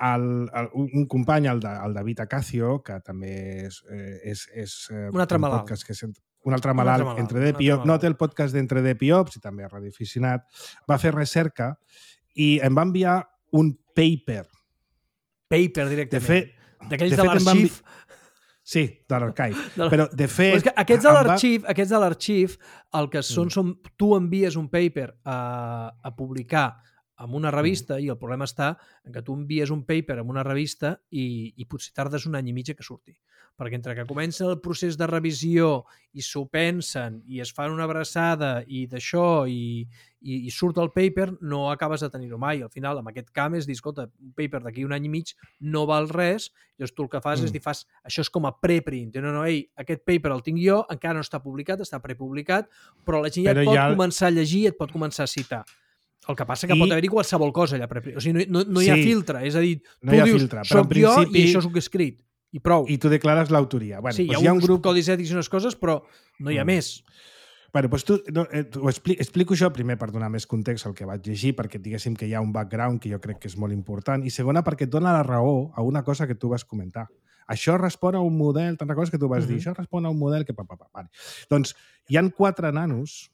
El, el, un company, el, de, el David Acacio, que també és... Eh, és, és un altre un malalt. Que sent... Un altre malalt, un altre malalt entre D P I O P, no té el podcast d'Entre D P I O Ps i també a Radio Aficionat, va fer recerca i em va enviar un paper. Paper, directament. De fet, d'aquells de, de l'arxiv. Envi... Sí, de l'arxiv. Però, de fet... Però és que aquests de l'arxiv, va... aquests de l'arxiv, el que són, mm. són... Tu envies un paper a, a publicar en una revista mm. i el problema està en que tu envies un paper en una revista i, i potser tardes un any i mig que surti. Perquè entre que comença el procés de revisió i s'ho pensen i es fan una abraçada i d'això i, i, i surt el paper, no acabes de tenir-ho mai. Al final, amb aquest camp és dir, escolta, un paper d'aquí un any i mig no val res, llavors tu el que fas mm. és dir, fas, això és com a preprint. No, no, ei, aquest paper el tinc jo, encara no està publicat, està prepublicat, però la gent ja però et pot ja... començar a llegir i et pot començar a citar. El que passa que I... pot haver-hi qualsevol cosa allà. O sigui, no, no, no hi ha sí. filtre. És a dir, no tu dius, filtre, soc principi... jo i això és el que he escrit. I prou. I tu declares l'autoria. Bueno, sí, doncs hi ha, hi ha un uns grup... codis ètics i unes coses, però no hi ha mm. més. Bueno, doncs tu, no, eh, ho explico, explico això primer per donar més context al que vaig llegir, perquè diguéssim que hi ha un background que jo crec que és molt important, i segona perquè et dona la raó a una cosa que tu vas comentar. Això respon a un model, te'n recordes que tu vas mm-hmm. dir? Això respon a un model que... Pa, pa, pa. Vale. Doncs hi han quatre nanos,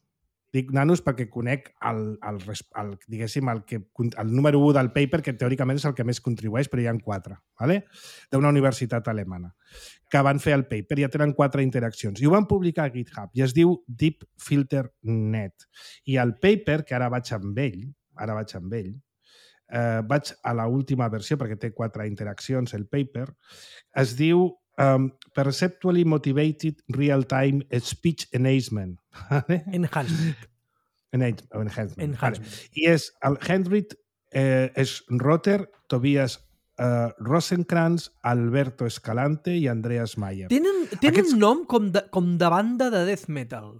dic nanos perquè conec el, el, el, diguéssim, el, que, el número u del paper, que teòricament és el que més contribueix, però hi ha quatre, ¿vale? D'una universitat alemana, que van fer el paper, ja tenen quatre interaccions, i ho van publicar a GitHub, i es diu Deep Filter Net. I el paper, que ara vaig amb ell, ara vaig amb ell, eh, vaig a la última versió, perquè té quatre interaccions, el paper, es diu Um, Perceptually Motivated Real-Time Speech Enhancement. Enhancement. Enhancement. Enhancement. Vale. I és el Henrik eh, Schrotter, Tobias eh, Rosenkrantz, Alberto Escalante i Andreas Mayer. Tenen, tenen Aquests... nom com de, com de banda de death metal.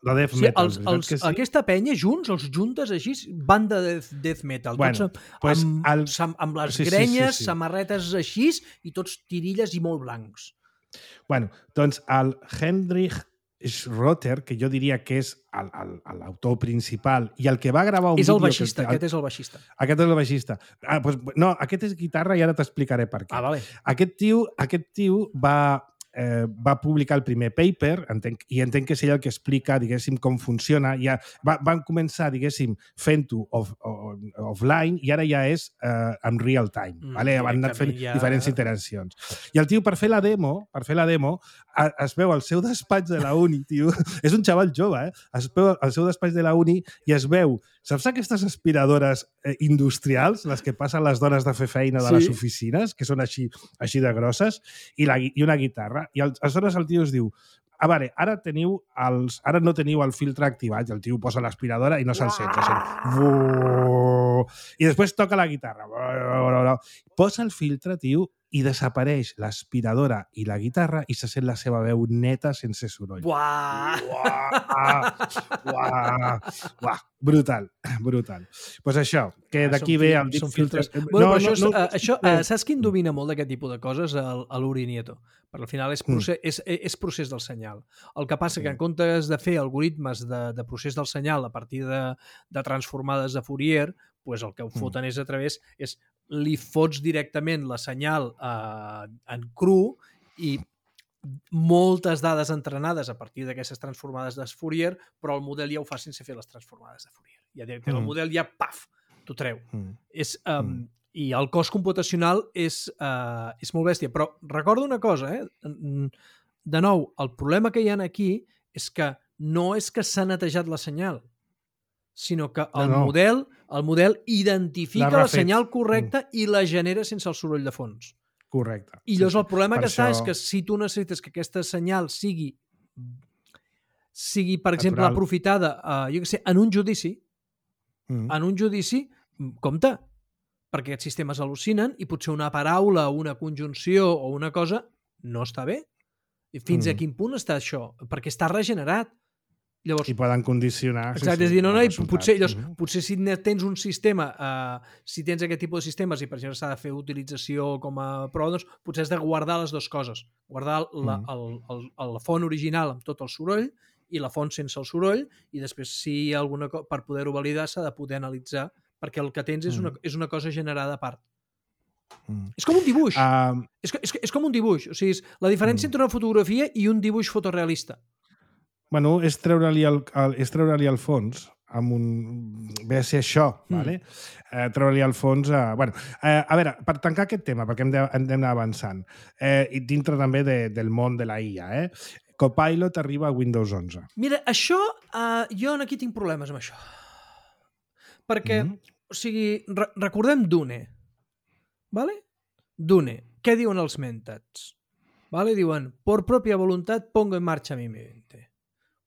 de death Sí, metal. els, els, que sí? Aquesta penya, junts, els juntes així, banda de death, death metal. Bueno, tots amb, pues amb, el... amb, amb les sí, grenyes, sí, sí, sí. samarretes així, i tots tirilles i molt blancs. Bueno, doncs el Hendrik Schroter, que jo diria que és l'autor principal i el que va gravar un és el vídeo... baixista, que, aquest és el baixista. Aquest és el baixista. Ah, pues, no, aquest és guitarra i ara t'explicaré per què. Ah, vale. Aquest tio, aquest tio va... Eh, va publicar el primer paper entenc, i entenc que és ell el que explica, diguéssim, com funciona. Ja, va, van començar, diguéssim, fent-ho off, off, offline i ara ja és eh, en real time. Mm, vale? Van anat fent ja... diferents iteracions. I el tio, per fer la demo, per fer la demo, a, es veu al seu despatx de la uni, tio, és un xaval jove, eh? Es veu al seu despatx de la uni i es veu, saps aquestes aspiradores eh, industrials, les que passen les dones de fer feina de sí. les oficines, que són així, així de grosses, i, la, i una guitarra. I aleshores el tio es diu, a veure, ara teniu els, ara no teniu el filtre activat, i el tio posa l'aspiradora i no se'l sent. I després toca la guitarra. Posa el filtre, tio, i desapareix l'aspiradora i la guitarra i se sent la seva veu neta sense soroll. Buah! Buah! Buah! Buah! Brutal, brutal. Doncs pues això, que d'aquí ve el deep filtres... Bueno, no, això, no, no, això no. Saps qui en domina molt d'aquest tipus de coses? L'Uri Nieto. Perquè al final és procés, mm. és, és procés del senyal. El que passa que en comptes de fer algoritmes de, de procés del senyal a partir de, de transformades de Fourier, pues el que ho foten mm. és a través... és li fots directament la senyal eh, en cru i moltes dades entrenades a partir d'aquestes transformades de Fourier, però el model ja ho fa sense fer les transformades de Fourier. Ja mm. el model ja, paf, t'ho treu. Mm. És, um, mm. I el cost computacional és, uh, és molt bèstia. Però recordo una cosa, eh? De nou, el problema que hi ha aquí és que no és que s'ha netejat la senyal, sinó que el, no, no. model, el model identifica la, la senyal correcta mm. i la genera sense el soroll de fons. Correcte. I llavors sí, el problema que això... està és que si tu necessites que aquesta senyal sigui, sigui per exemple, natural. Aprofitada uh, jo què sé, en un judici, mm. en un judici, compte, perquè aquests sistemes al·lucinen i potser una paraula, una conjunció o una cosa no està bé. I fins mm. a quin punt està això? Perquè està regenerat. Llavors, i poden condicionar... Exacte, sí, sí, és dir, no, no, potser, llavors, mm-hmm. potser si tens un sistema, uh, si tens aquest tipus de sistemes i per exemple s'ha de fer utilització com a prova, doncs potser has de guardar les dues coses. Guardar la, mm. el, el, el, la font original amb tot el soroll i la font sense el soroll i després si hi ha alguna cosa, per poder-ho validar s'ha de poder analitzar perquè el que tens és una, és una cosa generada a part. Mm. És com un dibuix. Uh... És, és, és com un dibuix. O sigui, és la diferència mm. entre una fotografia i un dibuix fotorealista. Bueno, és treure-li el, el, és treure-li el fons amb un... ve a ser això, mm. vale? Eh, treure-li el fons a... Bueno, eh, a veure, per tancar aquest tema, perquè hem d'anar avançant, eh, i dintre també de, del món de la I A, eh? Copilot arriba a Windows onze. Mira, això, eh, jo aquí tinc problemes amb això. Perquè, mm. o sigui, re recordem Dune, vale? Dune, què diuen els mentats? Vale? Diuen, por propia voluntad pongo en marcha mi mente.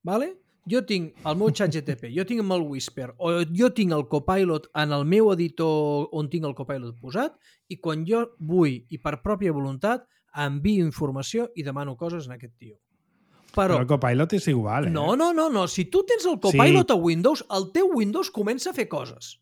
Vale? Jo tinc el meu xat G T P, jo tinc el Whisper, o jo tinc el Copilot en el meu editor on tinc el Copilot posat, i quan jo vull, i per pròpia voluntat, envio informació i demano coses en aquest tio. Però, Però el Copilot és igual, eh? No, no, no, no. Si tu tens el Copilot sí. a Windows, el teu Windows comença a fer coses.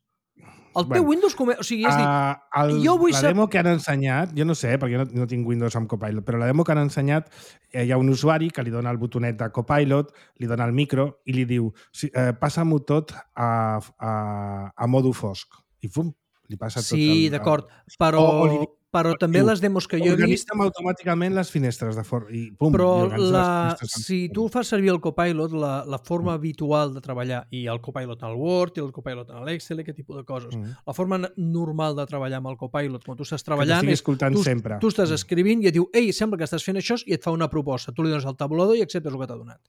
El teu bueno, Windows... Come... O sigui, és dir, uh, el, jo vull la saber... demo que han ensenyat, jo no sé, perquè no, no tinc Windows amb Copilot, però la demo que han ensenyat, eh, hi ha un usuari que li dona el botonet de Copilot, li dona el micro i li diu, si, eh, passa-m'ho tot a, a, a modo fosc. I fum, li passa tot. Sí, d'acord, però... O, o li... Però també les demos que jo he vist... Organitzem automàticament les finestres de for... i pum, però la... si tu fas servir el Copilot, la, la forma mm. habitual de treballar, i el Copilot al Word, i el Copilot en l'Excel, aquest tipus de coses, mm. la forma normal de treballar amb el Copilot, quan tu estàs treballant, és, tu, sempre. tu estàs escrivint i et diu, ei, sembla que estàs fent això, i et fa una proposta. Tu li dones el tabulador i acceptes el que t'ha donat.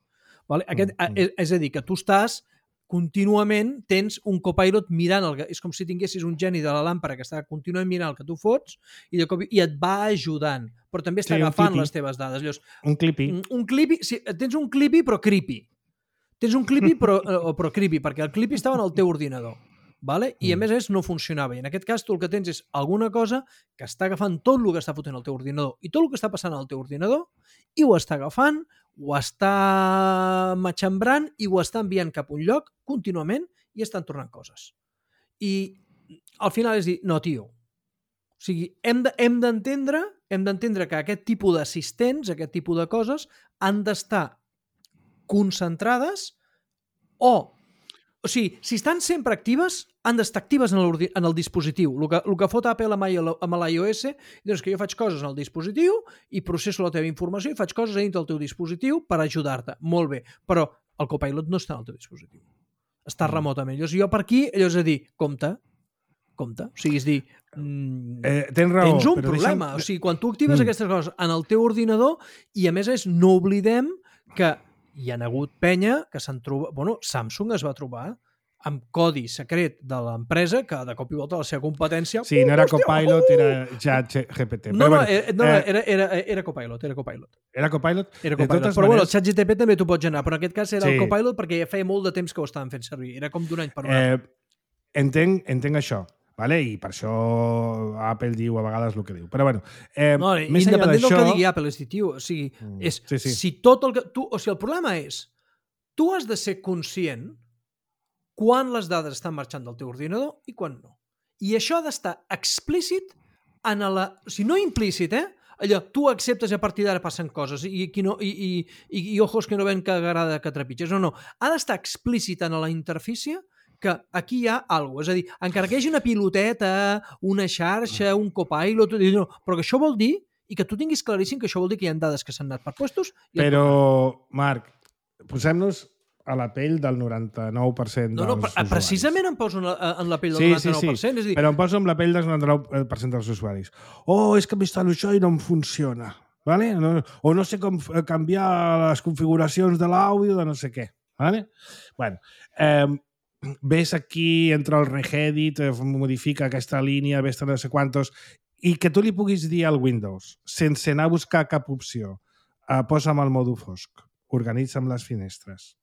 Vale? Aquest, mm. és, és a dir, que tu estàs contínuament tens un Copilot mirant, el, és com si tinguessis un geni de la làmpara que està contínuament mirant el que tu fots i, de cop, i et va ajudant, però també està sí, agafant les teves dades. Llavors, un clippy. Un, un clippy, sí, tens un clippy però creepy. Tens un clippy però, però creepy, perquè el clippy estava en el teu ordinador. Vale? I a més a més no funcionava. I en aquest cas tu el que tens és alguna cosa que està agafant tot el que està fotent el teu ordinador i tot el que està passant al teu ordinador i ho està agafant, ho està matxembrant i ho està enviant cap a un lloc contínuament i estan tornant coses. I al final és dir, no, tio, o sigui, hem d'entendre de, hem d'entendre que aquest tipus d'assistents, aquest tipus de coses, han d'estar concentrades o... O sigui, si estan sempre actives, han d'estar actives en, en el dispositiu. El que, el que fot Apple amb l'iOS és que jo faig coses en el dispositiu i processo la teva informació i faig coses dintre del teu dispositiu per ajudar-te. Molt bé, però el Copilot no està en el teu dispositiu. Està mm. remotament. Llavors, jo per aquí, allò és a dir, compte, compte. O sigui, és dir, mm, eh, tens raó, tens un problema. Deixa'm... O sigui, quan tu actives mm. aquestes coses en el teu ordinador, i a més és, no oblidem que hi ha hagut penya que s'han trobat... Bueno, Samsung es va trobar amb codi secret de l'empresa que de cop i volta la seva competència... Sí, no era Copilot, era ChatGPT. No, no, era, no, eh, era, era, era Copilot, era Copilot. Era Copilot? Era Copilot. Però maneres... bueno, el ChatGPT també t'ho pots anar, però en aquest cas era sí. el Copilot perquè ja feia molt de temps que ho estaven fent servir. Era com d'un any per un eh, any. Entenc, entenc això. Vale? I per això Apple diu a vegades el que diu. Però bueno, eh, no, més enllà independent d'això... del que digui Apple, és dir, tio, o sigui, Mm. és, Sí, sí. si tot el que... Tu, o sigui, el problema és, tu has de ser conscient quan les dades estan marxant del teu ordinador i quan no. I això ha d'estar explícit en la... O sigui, no implícit, eh? Allò, tu acceptes i a partir d'ara passen coses i, i, no, i, i, i, i ojos que no ven que agrada que trepitges. No, no. Ha d'estar explícit en la interfície que aquí hi ha alguna cosa. És a dir, encara que hi hagi una piloteta, una xarxa, un copilot, no, però que això vol dir, i que tu tinguis claríssim que això vol dir que hi ha dades que s'han anat per puestos... I però, Marc, posem-nos a la pell del noranta-nou per cent dels no, no, usuaris. Precisament em poso en la, en la pell del sí, noranta-nou per cent. Sí, sí, és dir... però em poso en la pell del noranta-nou per cent dels usuaris. Oh, és que m'instal·lo això i no em funciona. Vale? No, o no sé com canviar les configuracions de l'àudio de no sé què. Vale? Bueno, eh, ves aquí, entra el regedit, modifica aquesta línia, ves no sé quantos, i que tu li puguis dir al Windows, sense anar a buscar cap opció, eh, posa'm el mòdul fosc, organitza'm les finestres,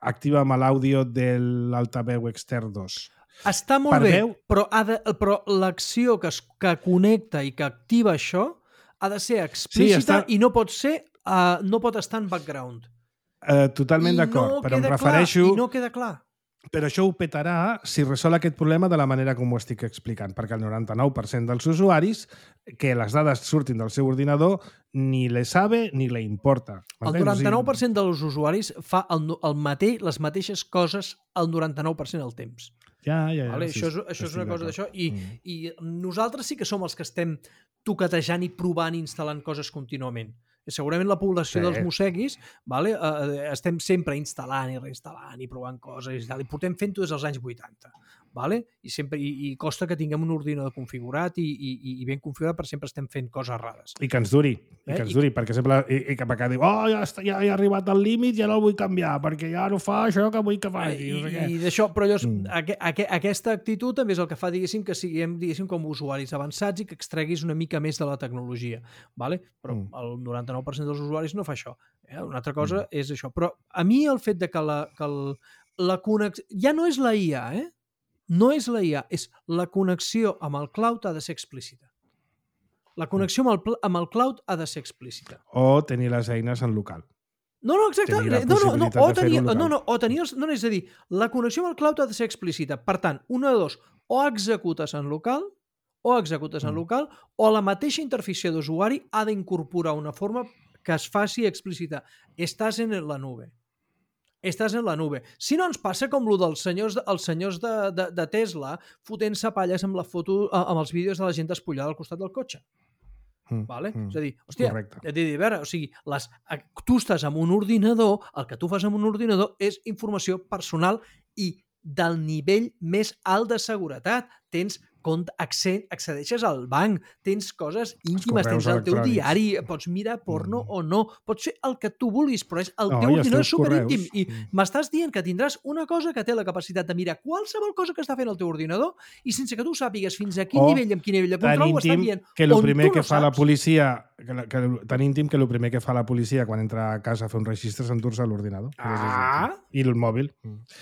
activa'm l'àudio de l'altaveu extern dos. Està molt per bé, veu... però, ha de, però l'acció que, es, que connecta i que activa això ha de ser explícita sí, està... i no pot ser, uh, no pot estar en background. Uh, totalment d'acord, no però em clar, refereixo... I no queda clar. Però això ho petarà si resol aquest problema de la manera com ho estic explicant, perquè el noranta-nou per cent dels usuaris que les dades surtin del seu ordinador ni le sabe ni le importa. El noranta-nou per cent dels usuaris fa el, el mateix, les mateixes coses el noranta-nou per cent del temps. Ja, ja, ja. Vale? Sí, això és, això és una cosa d'això. I, mm. I nosaltres sí que som els que estem toquetejant i provant i instal·lant coses contínuament. Segurament la població sí. dels mosseguis, vale? uh, estem sempre instal·lant i reinstal·lant i provant coses i tal, i portem fent-ho des dels anys vuitanta. Vale? I, sempre, i, i costa que tinguem un ordinador configurat i, i, i ben configurat, però sempre estem fent coses rares. I que ens duri, i eh? que ens duri, I... perquè sempre i, i cap acá diu, oh, ja, està, ja he arribat al límit, ja no el vull canviar, perquè ja no fa això que vull que faci. I, no sé i d'això, però llavors, mm. aqu aqu aquesta actitud també és el que fa, diguéssim, que siguem, diguéssim, com usuaris avançats i que extreguis una mica més de la tecnologia. Vale? Però mm. el noranta-nou per cent dels usuaris no fa això. Eh? Una altra cosa mm. és això. Però a mi el fet de que la, que el, la connexió... Ja no és la I A, eh? No és la I A, és la connexió amb el cloud ha de ser explícita. La connexió amb el, amb el cloud ha de ser explícita. O tenir les eines en local. No, no, exacte. No, no, no, o tenir, no, no, o tenir, no, és a dir, la connexió amb el cloud ha de ser explícita. Per tant, una de dos, o executes en local, o executes en mm. local, o la mateixa interfície d'usuari ha d'incorporar una forma que es faci explícita. Estàs en la nube. Estàs en la nube. Si no ens passa com el dels senyors, els senyors de, de, de Tesla fotent-se palles amb la foto, amb els vídeos de la gent despullada al costat del cotxe. Mm, vale? Mm, és a dir, hòstia, a dir, a veure, o sigui, les, tu estàs amb un ordinador, el que tu fas amb un ordinador és informació personal i del nivell més alt de seguretat. Tens accedeixes al banc, tens coses íntimes, tens el teu diari, pots mirar porno mm. o no, pots fer el que tu vulguis, però és el no, teu ordinador és superíntim. I mm. m'estàs dient que tindràs una cosa que té la capacitat de mirar qualsevol cosa que està fent el teu ordinador i sense que tu sàpigues fins a quin o nivell, amb quin nivell de control ho estan dient. Que el primer que no fa saps. la policia, que, que, tan íntim que el primer que fa la policia quan entra a casa a fer un registre s'endur-se l'ordinador. Ah! I el mòbil.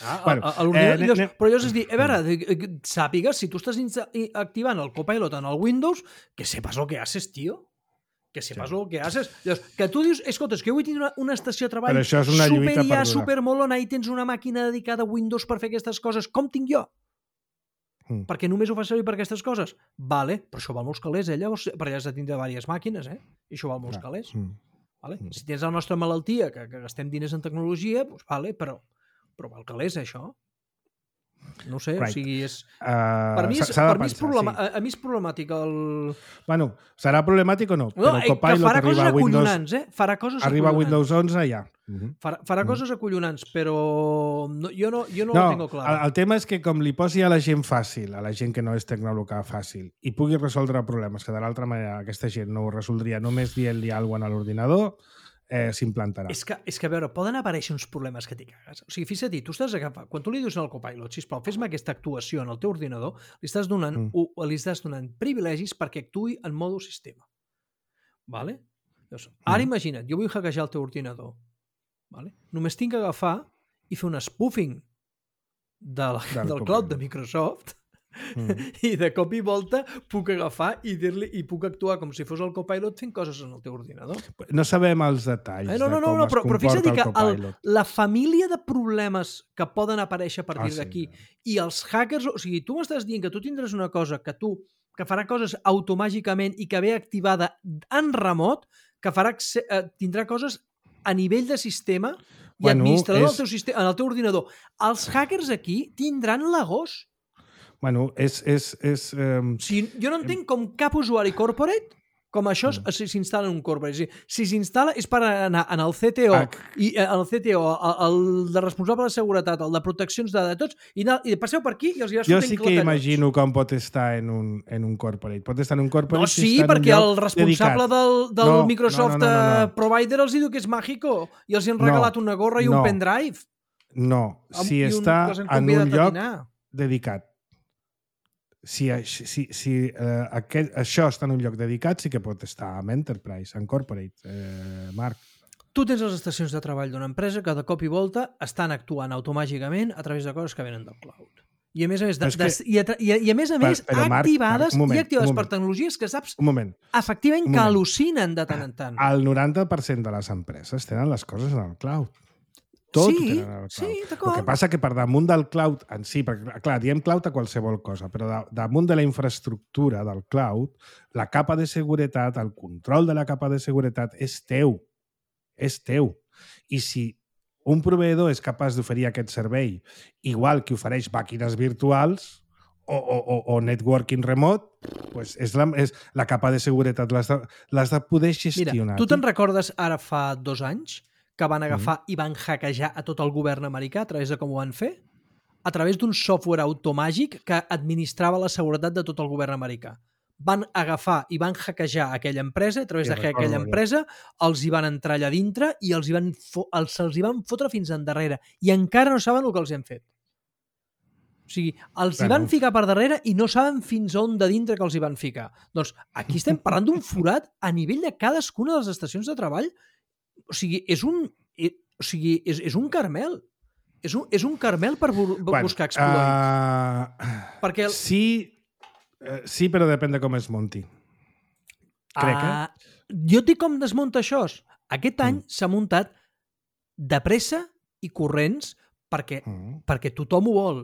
Ah, bueno, a, a eh, llavors, però llavors és dir, a veure, sàpigues, si tu estàs activant el Copilot en el Windows, que sepas lo que haces, tío. que sepas sí. lo que haces. Llavors, que tu dius, escolta, és que jo vull tenir una, una estació de treball Però això és una super lluita ja, perduda. super molona i tens una màquina dedicada a Windows per fer aquestes coses, com tinc jo? Mm. Perquè només ho fa servir per aquestes coses? Vale, però això val molts calés, eh? Llavors, perquè has de tindre diverses màquines, eh? I això val molts Clar. calés. Mm. Vale? Mm. Si tens la nostra malaltia, que, que gastem diners en tecnologia, doncs vale, però, però val calés, eh, això? No sé, right. o sigui, és... Uh, per mi és, per mi és problema... sí. a, a mi és problemàtic el... Bueno, serà problemàtic o no? No, però el Copilot farà coses acollonants, eh? Farà coses arriba acollonants. Windows onze ja. Uh-huh. Farà, farà uh-huh. coses acollonants, però no, jo no, jo no, no ho tengo clar. El, el tema és que com li posi a la gent fàcil, a la gent que no és tecnòloga fàcil, i pugui resoldre problemes que de l'altra manera aquesta gent no ho resoldria només dient-li alguna cosa a l'ordinador, eh, s'implantarà. És que, és que, a veure, poden aparèixer uns problemes que t'hi cagues. O sigui, fixa't, tu estàs agafant... Quan tu li dius al Copilot, sisplau, fes-me aquesta actuació en el teu ordinador, li estàs donant, mm. o, li estàs donant privilegis perquè actuï en modo sistema. Vale? Llavors, ara mm. imagina't, jo vull hackejar el teu ordinador. Vale? Només tinc que agafar i fer un spoofing de la, del, del cloud de Microsoft mm. i de cop i volta puc agafar i dir-li i puc actuar com si fos el Copilot fent coses en el teu ordinador. No sabem els detalls eh, no, no, de no, com no, es però, però comporta fixa't el que Copilot. El, la família de problemes que poden aparèixer a partir ah, d'aquí sí. i els hackers, o sigui, tu m'estàs dient que tu tindràs una cosa que tu que farà coses automàgicament i que ve activada en remot, que farà eh, tindrà coses a nivell de sistema i bueno, administrador és... del teu sistema, en el teu ordinador. Els hackers aquí tindran la gos. Bueno, és... és, és um... si, jo no entenc com cap usuari corporate, com això mm. s'instal·la en un corporate. Si s'instal·la és per anar en el C T O, ah. i el C T O, el de responsable de seguretat, el de proteccions de dades, i, i passeu per aquí i els hi va jo sí que imagino com pot estar en un, en un corporate. Pot estar en un corporate... No, sí, si perquè el responsable dedicat. del, del no, Microsoft no, no, no, no, no. Provider els diu que és mágico i els hi han regalat no, una gorra i no, un pendrive. No, si un, està en un lloc dedicat. Si, si, si eh, aquest, això està en un lloc dedicat, sí que pot estar en Enterprise, en Corporate, eh, Marc. Tu tens les estacions de treball d'una empresa que de cop i volta estan actuant automàgicament a través de coses que venen del cloud. I a més a més, de, de, que, i, a, i, a, i a més, a més però, però, activades, Marc, moment, i activades per tecnologies que saps efectivament que al·lucinen de tant en tant. El noranta per cent de les empreses tenen les coses en el cloud. Tot sí, ho tenen al cloud. Sí, d'acord. El que passa que per damunt del cloud en si, perquè clar, diem cloud a qualsevol cosa, però de, damunt de la infraestructura del cloud, la capa de seguretat, el control de la capa de seguretat és teu. És teu. I si un proveïdor és capaç d'oferir aquest servei, igual que ofereix màquines virtuals o, o, o, o networking remote, pues és, la, és la capa de seguretat, l'has de, l'has de poder gestionar. Mira, tu te'n recordes ara fa dos anys que van agafar mm. i van hackejar a tot el govern americà a través de com ho van fer? A través d'un software automàgic que administrava la seguretat de tot el govern americà. Van agafar i van hackejar aquella empresa, a través sí, de aquella empresa, els hi van entrar allà dintre i els hi van, fo els, els hi van fotre fins endarrere. I encara no saben el que els hem fet. O sigui, els bueno. hi van ficar per darrere i no saben fins on de dintre que els hi van ficar. Doncs aquí estem parlant d'un forat a nivell de cadascuna de les estacions de treball. O sigui, és un, o sigui, és, és un carmel. És un, és un carmel per bu bueno, buscar exploits. Uh, Perquè el... Sí, uh, sí, però depèn de com es munti. Crec, uh, eh? Jo et dic com desmunta això. Aquest any mm. s'ha muntat de pressa i corrents perquè, mm. perquè tothom ho vol.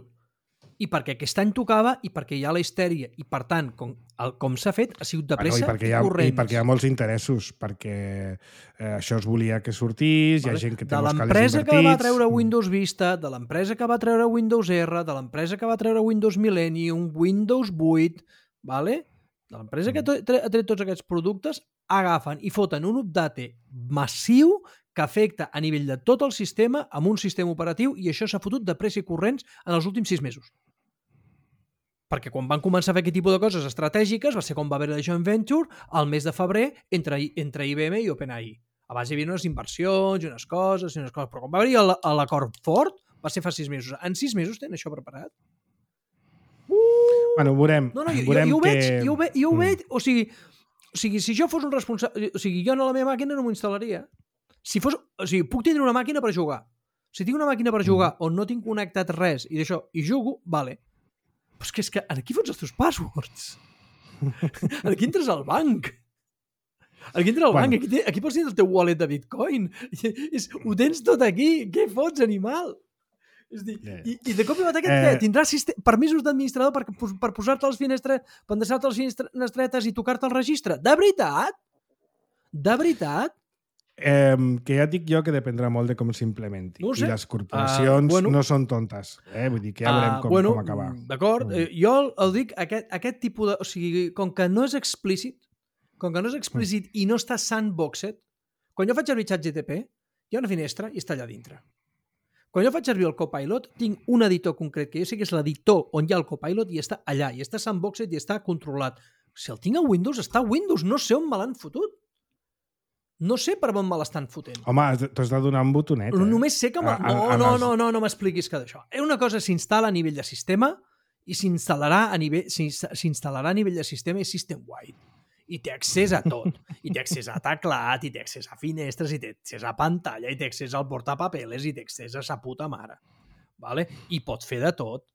I perquè aquest any tocava i perquè hi ha la histèria. I, per tant, com, el, com s'ha fet, ha sigut de pressa bueno, i, i, ha, i corrents. I perquè hi ha molts interessos, perquè eh, això es volia que sortís, vale. Hi ha gent que té molts calés invertits. De l'empresa que va treure Windows Vista, de l'empresa que va treure Windows R, de l'empresa que va treure Windows Millennium, Windows vuit, vale? De l'empresa que ha tret tots aquests productes, agafen i foten un update massiu que afecta a nivell de tot el sistema amb un sistema operatiu i això s'ha fotut de pressa i corrents en els últims sis mesos. Perquè quan van començar a fer aquest tipus de coses estratègiques va ser quan va haver la joint venture al mes de febrer entre, entre I B M i OpenAI. Abans hi havia unes inversions i unes coses i unes coses, però quan va haver l'acord fort va ser fa sis mesos. En sis mesos tenen això preparat? Uh! Bueno, veurem. No, no, jo, veurem jo, jo ho veig, que... jo ho veig, jo ho veig o, sigui, o sigui, si jo fos un responsable... O sigui, jo a la meva màquina no m'ho instal·laria. Si fos... O sigui, puc tindre una màquina per jugar. Si tinc una màquina per jugar on no tinc connectat res i d'això, i jugo, vale. Però és que, és que aquí fots els teus passwords. Aquí entres al banc. Aquí entra el Bueno. banc, aquí, té, aquí pots tenir el teu wallet de Bitcoin. És, ho tens tot aquí. Què fots, animal? És dir, Yeah. i, i de cop i volta aquest Eh. què? Tindràs sistem, permisos d'administrador per, per posar-te les finestres, per endreçar-te les finestretes i tocar-te el registre. De veritat? De veritat? Eh, que ja et dic jo que dependrà molt de com s'implementi. No ho sé. I les corporacions Uh, bueno. no són tontes. Eh? Vull dir que ja veurem Uh, com, bueno, com acabar. D'acord. Mm. Eh, jo el, el dic, aquest, aquest tipus de... O sigui, com que no és explícit, com que no és explícit mm. i no està sandboxed, quan jo faig servir ChatGPT, hi ha una finestra i està allà dintre. Quan jo faig servir el Copilot, tinc un editor concret, que jo sé que és l'editor on hi ha el Copilot i està allà, i està sandboxed i està controlat. Si el tinc a Windows, està a Windows, no sé on me l'han fotut. No sé per on me l'estan fotent. Home, t'has de donar un botonet. Eh? Només sé que... Me... A- a- No, a no, les- no, no, no m'expliquis que d'això. Una cosa s'instal·la a nivell de sistema i s'instal·larà a nivell s'instal·larà a nivell de sistema i system-wide. I té accés a tot. I té accés a teclat, i té accés a finestres, i té accés a pantalla, i té accés al portapapeles, i té accés a sa puta mare. Vale? I pot fer de tot.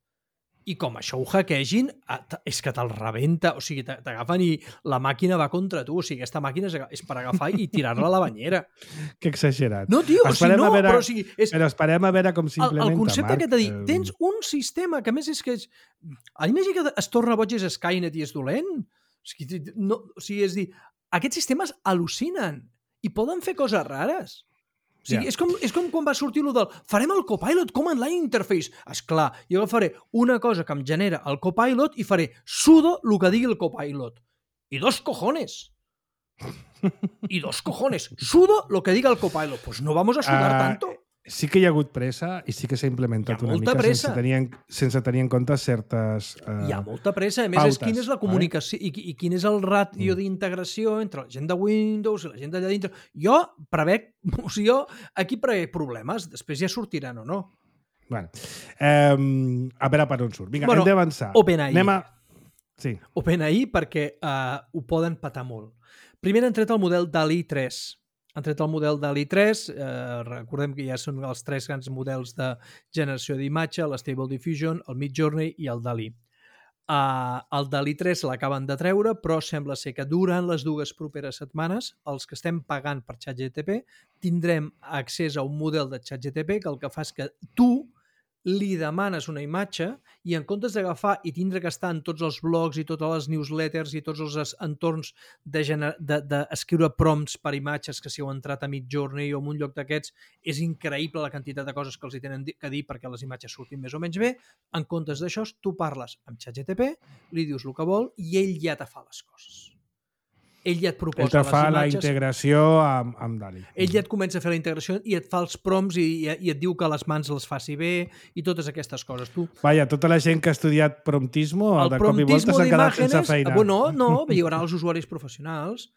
I com això ho hackegin, és que te'l rebenta. O sigui, t'agafen i la màquina va contra tu. O sigui, aquesta màquina és per agafar i tirar-la a la banyera. Que exagerat. No, tio, o sigui, no, veure, però o sigui... És... Però esperem a veure com s'implementa, El, el concepte Marc. aquest de dir, Eh, tens un sistema que a més és que... És... A imagina que es torna boig és Skynet i és dolent. O sigui, no, o sigui, és dir, aquests sistemes al·lucinen i poden fer coses rares. O sigui, Ja. és, com, és com quan va sortir allò del farem el Copilot Command Line Interface. Esclar, jo agafaré una cosa que em genera el Copilot i faré sudo el que digui el Copilot. I dos cojones. I dos cojones. Sudo lo que diga el Copilot. Pues no vamos a sudar Ah, tanto. Sí que hi ha hagut pressa i sí que s'ha implementat Hi ha una molta mica pressa. sense tenir, en, sense tenir en compte certes... Uh, Hi ha molta pressa. A més, pautes, és quina és la comunicació i, i quin és el ratio mm. d'integració entre la gent de Windows i la gent d'allà dintre. Jo prevec, o sigui, jo aquí prevec problemes. Després ja sortiran o no. Bueno, eh, a veure per on surt. Vinga, Bueno, hem d'avançar. OpenAI. Anem a... Sí. OpenAI perquè uh, ho poden patar molt. Primer han tret el model DALL-E tres. Han tret el model DALL-E tres, eh, recordem que ja són els tres grans models de generació d'imatge, l'Stable Diffusion, el Midjourney i el DALL-E. Uh, el DALL-E tres l'acaben de treure, però sembla ser que durant les dues properes setmanes, els que estem pagant per ChatGPT, tindrem accés a un model de ChatGPT que el que fa és que tu li demanes una imatge i en comptes d'agafar i tindre que estar en tots els blogs i totes les newsletters i tots els entorns d'escriure de, de, de prompts per imatges que si heu entrat a Midjourney o en un lloc d'aquests és increïble la quantitat de coses que els hi tenen que dir perquè les imatges surtin més o menys bé, en comptes d'això tu parles amb ChatGPT, li dius el que vol i ell ja te fa les coses. Ell ja et proposa Ell te les fa imatges. la integració amb, amb DALL-E. Ell ja et comença a fer la integració i et fa els prompts i, i, i et diu que les mans les faci bé i totes aquestes coses. Tu, Vaja, tota la gent que ha estudiat promptismo el de cop i volta promptismo s'han quedat sense d'imágenes, feina. bueno, no, hi haurà els usuaris professionals.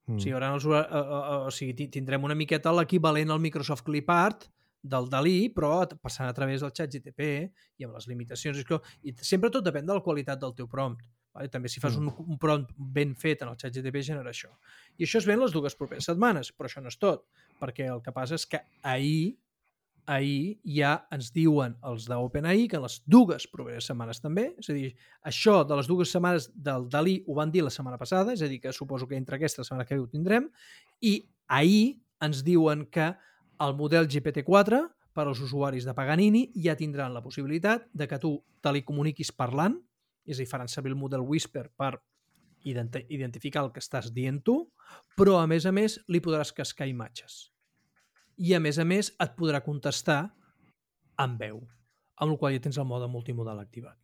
Mm. O sigui, hi haurà els, uh, uh, uh, o sigui, ti- tindrem una miqueta l'equivalent al Microsoft Clipart del DALL-E, però passant a través del ChatGPT i amb les limitacions. I, que- I sempre tot depèn de la qualitat del teu prompt. Vale? També si fas un, un prompt ben fet en el ChatGPT genera això. I això es ven les dues properes setmanes, però això no és tot, perquè el que passa és que ahir, ahir ja ens diuen els d'OpenAI que en les dues properes setmanes també, és a dir, això de les dues setmanes del DALL-E ho van dir la setmana passada, és a dir, que suposo que entre aquesta setmana que ve ho tindrem, i ahir ens diuen que el model G P T quatre per als usuaris de Paganini ja tindran la possibilitat de que tu te li comuniquis parlant, és a dir, faran servir el model Whisper per identi- identificar el que estàs dient tu, però a més a més li podràs cascar imatges. I a més a més et podrà contestar amb veu, amb el qual ja tens el mode multimodal activat.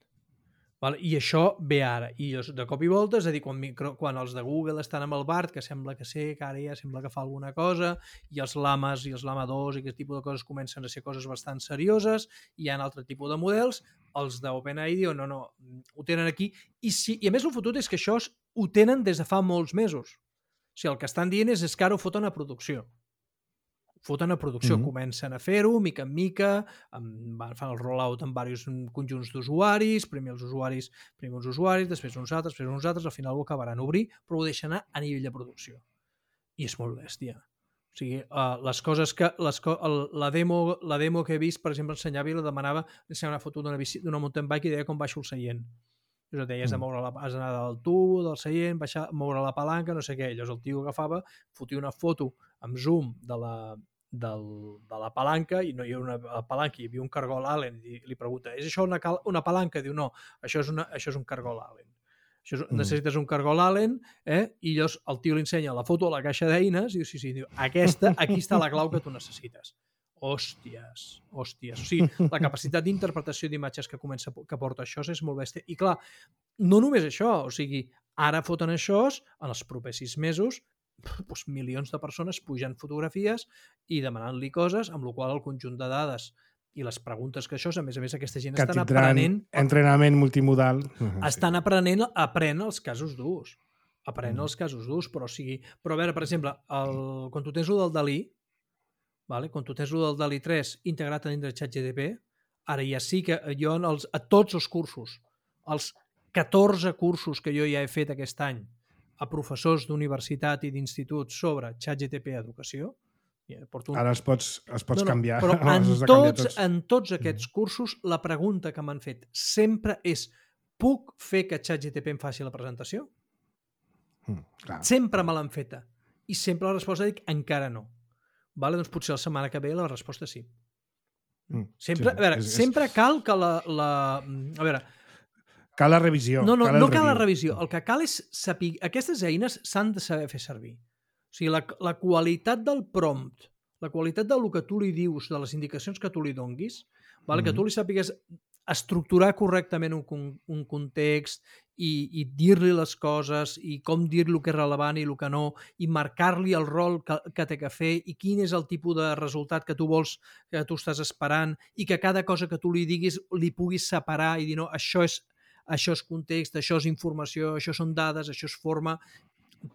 Val? I això ve ara. I de cop i volta, és a dir, quan, micro, quan els de Google estan amb el Bard, que sembla que sé, que ara ja sembla que fa alguna cosa, i els lames i els lama dos i aquest tipus de coses comencen a ser coses bastant serioses, i hi ha un altre tipus de models, els d'OpenAI diuen, no, no, ho tenen aquí. I, si, I a més el fotut és que això ho tenen des de fa molts mesos. O sigui, el que estan dient és, és que ara ho foten a producció. Foten a producció, Mhm. comencen a fer-ho mica en mica, amb, van fan el rollout amb diversos conjunts d'usuaris, primer els usuaris, primer uns usuaris, després uns altres, després uns altres, al final ho acabaran a obrir, però ho deixen anar a nivell de producció. I és molt bèstia. O sigui, uh, les coses que... Les co el, la, demo, la demo que he vist, per exemple, ensenyava i la demanava, ensenyava una foto d'una bici, d'una mountain bike i deia com baixo el seient. Llavors et deia, has de moure la, has d'anar del tub, del seient, baixar, moure la palanca, no sé què. Llavors el tio agafava, fotia una foto amb zoom de la, del, de la palanca i no hi havia una palanca, hi havia un cargol Allen i li pregunta, és això una, una palanca? Diu, no, això és, una, això és un cargol Allen. Això és, necessites un cargol Allen, eh? I llavors el tio li ensenya la foto a la caixa d'eines i diu, sí, sí, diu, aquesta, aquí està la clau que tu necessites. Hòsties, hòsties. O sigui, la capacitat d'interpretació d'imatges que comença que porta això és molt bèstia. I clar, no només això, o sigui, ara foten això, en els propers sis mesos, doncs milions de persones pugen fotografies i demanant-li coses, amb la qual el conjunt de dades i les preguntes que això, a més a més, aquesta gent que estan aprenent... entrenament multimodal. Estan aprenent, aprenen els casos durs. Aprenen Mm. els casos durs, però o sigui... Però a veure, per exemple, el, quan tu tens el del Dalí, vale? Quan tu tens el del Dalí tres integrat dintre de ChatGPT, ara ja sí que jo en els, a tots els cursos, els catorze cursos que jo ja he fet aquest any a professors d'universitat i d'institut sobre ChatGPT Educació, porto un... Ara els pots, els pots no, no, canviar. però en Els has de tots, canviar tots. en tots aquests cursos la pregunta que m'han fet sempre és puc fer que ChatGPT em faci la presentació? Mm, clar. Sempre me l'han feta. I sempre la resposta dic encara no. Vale? Doncs potser la setmana que ve la resposta sí. Mm, Sempre, sí, a veure, és, és... sempre cal que la... la a veure, Cal la revisió. no, no, cal no el cal la review. revisió. El que cal és saber... Aquestes eines s'han de saber fer servir. O sigui, la, la qualitat del prompt, la qualitat del que tu li dius, de les indicacions que tu li donguis, vale? Mm-hmm. que tu li sàpigues estructurar correctament un, un context i, i dir-li les coses i com dir-li el que és rellevant i el que no, i marcar-li el rol que, que té que fer i quin és el tipus de resultat que tu vols, que tu estàs esperant, i que cada cosa que tu li diguis li puguis separar i dir, no, això és, això és context, això és informació, això són dades, això és forma...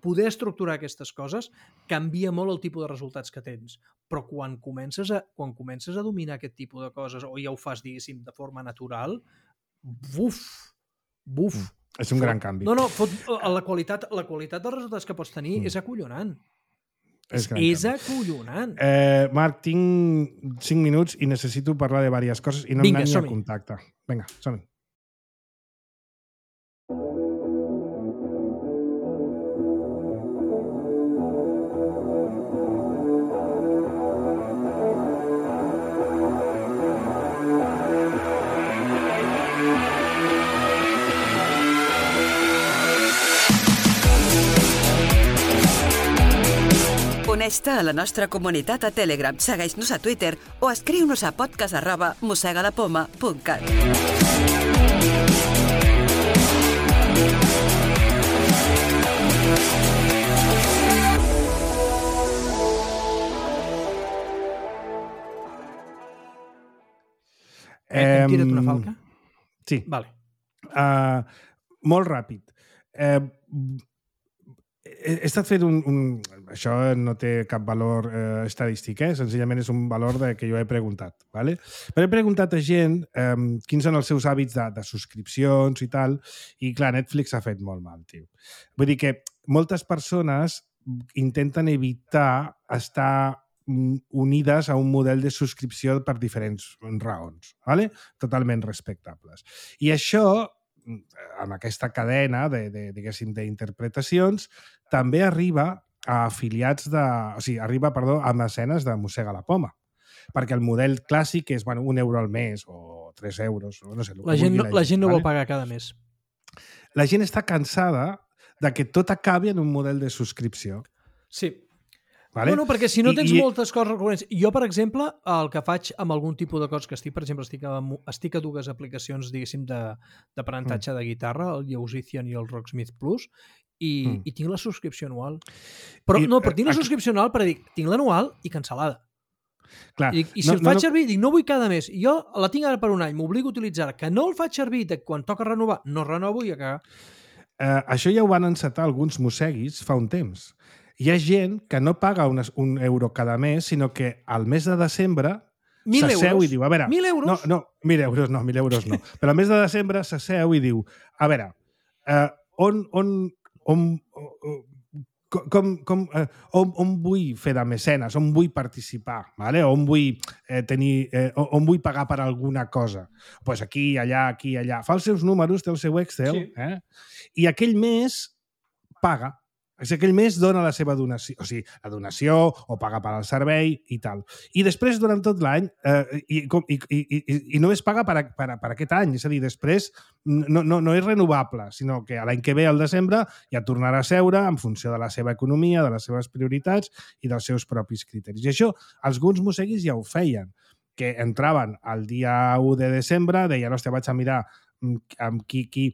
Poder estructurar aquestes coses canvia molt el tipus de resultats que tens, però quan comences a, quan comences a dominar aquest tipus de coses, o ja ho fas, diguéssim, de forma natural, buf, buf. Mm. És un fot, gran canvi. No, no, fot, la, qualitat, la qualitat dels resultats que pots tenir mm. és acollonant. És, és acollonant. Eh, Marc, tinc cinc minuts i necessito parlar de diverses coses i no Vinga, em anat ni a som-hi. contacte. Vinga, som-hi. Uneix-te a la nostra comunitat a Telegram, segueix-nos a Twitter o escriu-nos a podcast arroba mosegalapoma punt cat. Eh, hem tirat una falca? Sí. Vale. Uh, molt ràpid. Eh, he estat fent un, un... Això no té cap valor eh, estadístic, eh? Senzillament és un valor de, que jo he preguntat. ¿vale? Però he preguntat a gent eh, quins són els seus hàbits de, de subscripcions i tal, i clar, Netflix ha fet molt mal, tio. Vull dir que moltes persones intenten evitar estar unides a un model de subscripció per diferents raons, ¿vale? Totalment respectables. I això, amb aquesta cadena de, de, diguéssim, d'interpretacions, també arriba a afiliats de... O sigui, arriba, perdó, a mecenes de Mossega la Poma. Perquè el model clàssic és, bueno, un euro al mes o tres euros, no sé. La gent, no, la gent no vol pagar cada mes. La gent està cansada de que tot acabi en un model de subscripció. Sí. Vale? No, no, perquè si no tens I, moltes coses recurrents... Jo, per exemple, el que faig amb algun tipus de coses que estic, per exemple, estic a, estic a dues aplicacions, diguéssim, d'aprenentatge de, de guitarra, el Musician i el Rocksmith Plus, i, mm. i tinc la subscripció anual. Però I, no, però tinc la subscripció anual per dir, tinc l'anual i cancel·lada. Clar, I, i si no, el faig no, servir, dic, no vull cada mes. Jo la tinc ara per un any, m'obligo a utilitzar-la. Que no el faig servir, de quan toca renovar, no renovo i a cagar. Eh, això ja ho van encetar alguns mosseguis fa un temps. Hi ha gent que no paga un, un euro cada mes, sinó que al mes de desembre s'asseu i diu, a veure... Mil euros? No, no, mil euros no, mil euros no. Però al mes de desembre s'asseu i diu, a veure, eh, on, on, on, com, com, eh, on, on vull fer de mecenes, on vull participar, vale? on vull eh, tenir, eh, on vull pagar per alguna cosa. Pues aquí, allà, aquí, allà. Fa els seus números, té el seu Excel, Sí. eh? I aquell mes paga. O sigui, aquell mes dona la seva donació, o sigui, la donació o paga per al servei i tal. I després, durant tot l'any, eh, i, i, i, i, i només paga per, a, per, a, per aquest any. És a dir, després no, no, no és renovable, sinó que l'any que ve, al desembre, ja tornarà a seure en funció de la seva economia, de les seves prioritats i dels seus propis criteris. I això, alguns mosseguis ja ho feien, que entraven el dia u de desembre, deien, hòstia, vaig a mirar amb qui... qui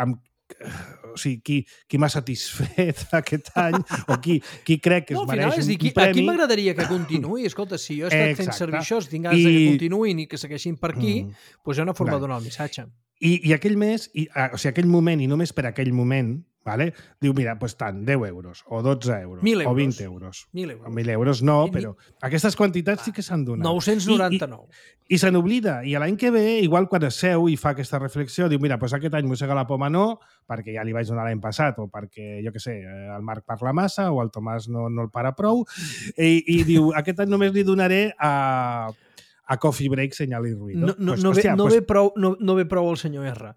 amb o sigui, qui, qui m'ha satisfet aquest any o qui, qui crec que es no, al final, mereix és dir, un qui, premi. Aquí m'agradaria que continuï. Escolta, si jo he estat Exacte. fent servir això, si tinc ganes I... I... que continuïn i que segueixin per aquí, mm. doncs hi ha una forma Clar. de donar el missatge. I, i aquell mes, i, o sigui, aquell moment, i només per aquell moment, vale? Diu, mira, doncs tant, deu euros, o dotze euros, Mil euros. o vint euros. Mil euros. Mil euros no, I, però aquestes quantitats sí que s'han donat. nou-cents noranta-nou. I, i, i se n'oblida. I l'any que ve, igual quan es seu i fa aquesta reflexió, diu, mira, doncs aquest any mossega la poma no, perquè ja li vaig donar l'any passat, o perquè, jo què sé, el Marc parla massa, o el Tomàs no, no el para prou, i, i diu, aquest any només li donaré a... a Coffee Break, Senyal i Ruïdo. No, no, pues, no, hòstia, ve, no, pues, ve prou, no, no ve prou el senyor R.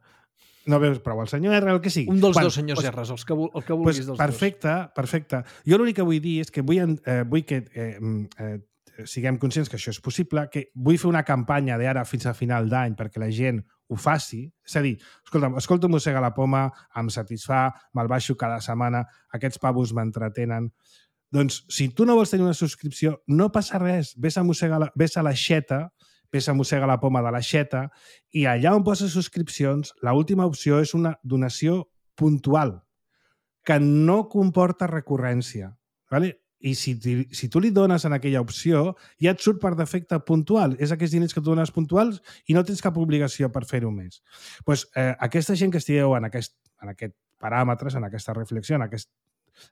No veus prou el senyor R, el que sigui. Un dels Quan, dos senyors pues, R's, els que, el que vulguis pues, dels perfecte, dos. perfecte. Jo l'únic que vull dir és que vull, eh, vull que eh, eh, siguem conscients que això és possible, que vull fer una campanya d'ara fins a final d'any perquè la gent ho faci. És a dir, escolta, escolta Mossega la Poma, em satisfà, me'l baixo cada setmana, aquests pavos m'entretenen. Doncs, si tu no vols tenir una subscripció, no passa res. Ves a, la, ves a l'aixeta, ves a Mossega la Poma de l'aixeta, i allà on poses subscripcions, l'última opció és una donació puntual, que no comporta recurrència. ¿Vale? I si, si tu li dones en aquella opció, ja et surt per defecte puntual. És aquests diners que tu dones puntuals i no tens cap obligació per fer-ho més. Pues, eh, aquesta gent que estigueu en aquest, en aquest paràmetres, en aquesta reflexió, en, aquest,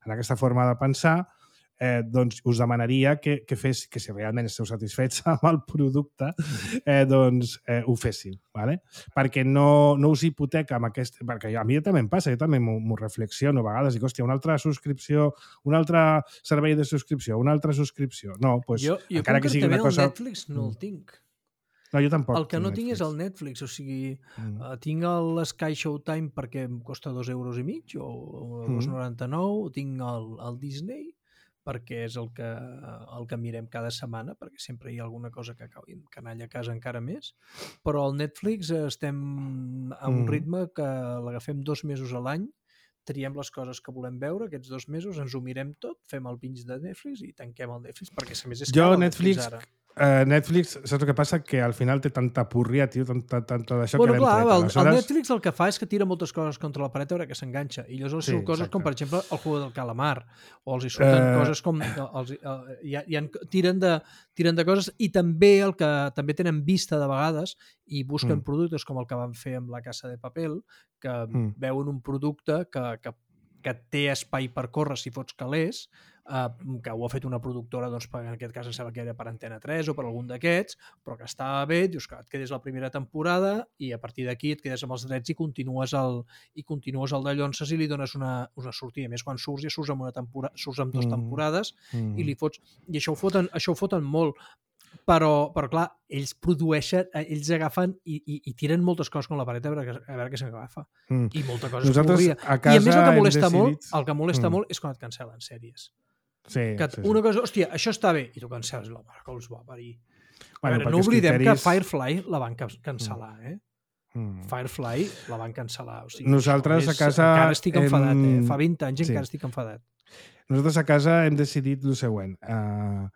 en aquesta forma de pensar, eh, doncs us demanaria que, que, fes, que si realment esteu satisfets amb el producte, eh, doncs eh, ho féssiu, ¿vale? Perquè no, no us hipoteca amb aquest... Perquè a mi també em passa, jo també m'ho reflexiono a vegades, dic, hòstia, una altra subscripció, un altre servei de subscripció, una altra subscripció. No, doncs, jo, jo encara que sigui una cosa... el Netflix no el tinc. No, jo tampoc. El que no tinc Netflix. és el Netflix, o sigui, mm. uh, tinc l'Sky Showtime perquè em costa dos euros i mig, o dos coma noranta-nou, mm. tinc el, el Disney, perquè és el que, el que mirem cada setmana, perquè sempre hi ha alguna cosa que acabi amb canalla a casa encara més, però al Netflix estem a un mm. ritme que l'agafem dos mesos a l'any, triem les coses que volem veure, aquests dos mesos, ens ho mirem tot, fem el binge de Netflix i tanquem el Netflix, perquè a més és jo, cal el Netflix, Netflix ara. Uh, Netflix, saps el que passa? Que al final té tanta purria, tio, tanta, tanta d'això bueno, que l'hem clar, tret. El, Aleshores... el Netflix el que fa és que tira moltes coses contra la paret a veure que s'enganxa. I llavors sí, són coses exacte. Com, per exemple, el Juego del Calamar, o els hi surten uh... coses com... Els, uh, ja, ja tiren, de, tiren de coses, i també el que també tenen vista de vegades i busquen mm. productes com el que van fer amb la Casa de Papel, que mm. veuen un producte que, que, que té espai per córrer si fots calés, Uh, que ho ha fet una productora, doncs, en aquest cas em sembla que era per Antena tres o per algun d'aquests, però que estava bé, dius que et quedes la primera temporada i a partir d'aquí et quedes amb els drets i continues el, i continues el de Llonses i li dones una, una sortida. A més, quan surts ja surts amb, una tempora, surts amb dues temporades mm. Mm. i li fots... I això ho foten, això ho foten molt. Però, però clar, ells produeixen, ells agafen i, i, i tiren moltes coses com la paret a veure, a veure què s'agafa. Mm. I molta cosa Nosaltres es I a més el que molesta decidit... molt, el que molesta mm. molt és quan et cancel·len sèries. Sí, que sí, una sí. cosa, hòstia, això està bé, i tu cancel·les la mare que els va parir. Bueno, veure, no oblidem criteris... que Firefly la van cancel·lar, eh? Mm. Firefly la van cancel·lar. O sigui, nosaltres és, a casa... Encara estic enfadat, hem... eh? Fa vint anys sí. encara estic enfadat. Nosaltres a casa hem decidit el següent. Uh,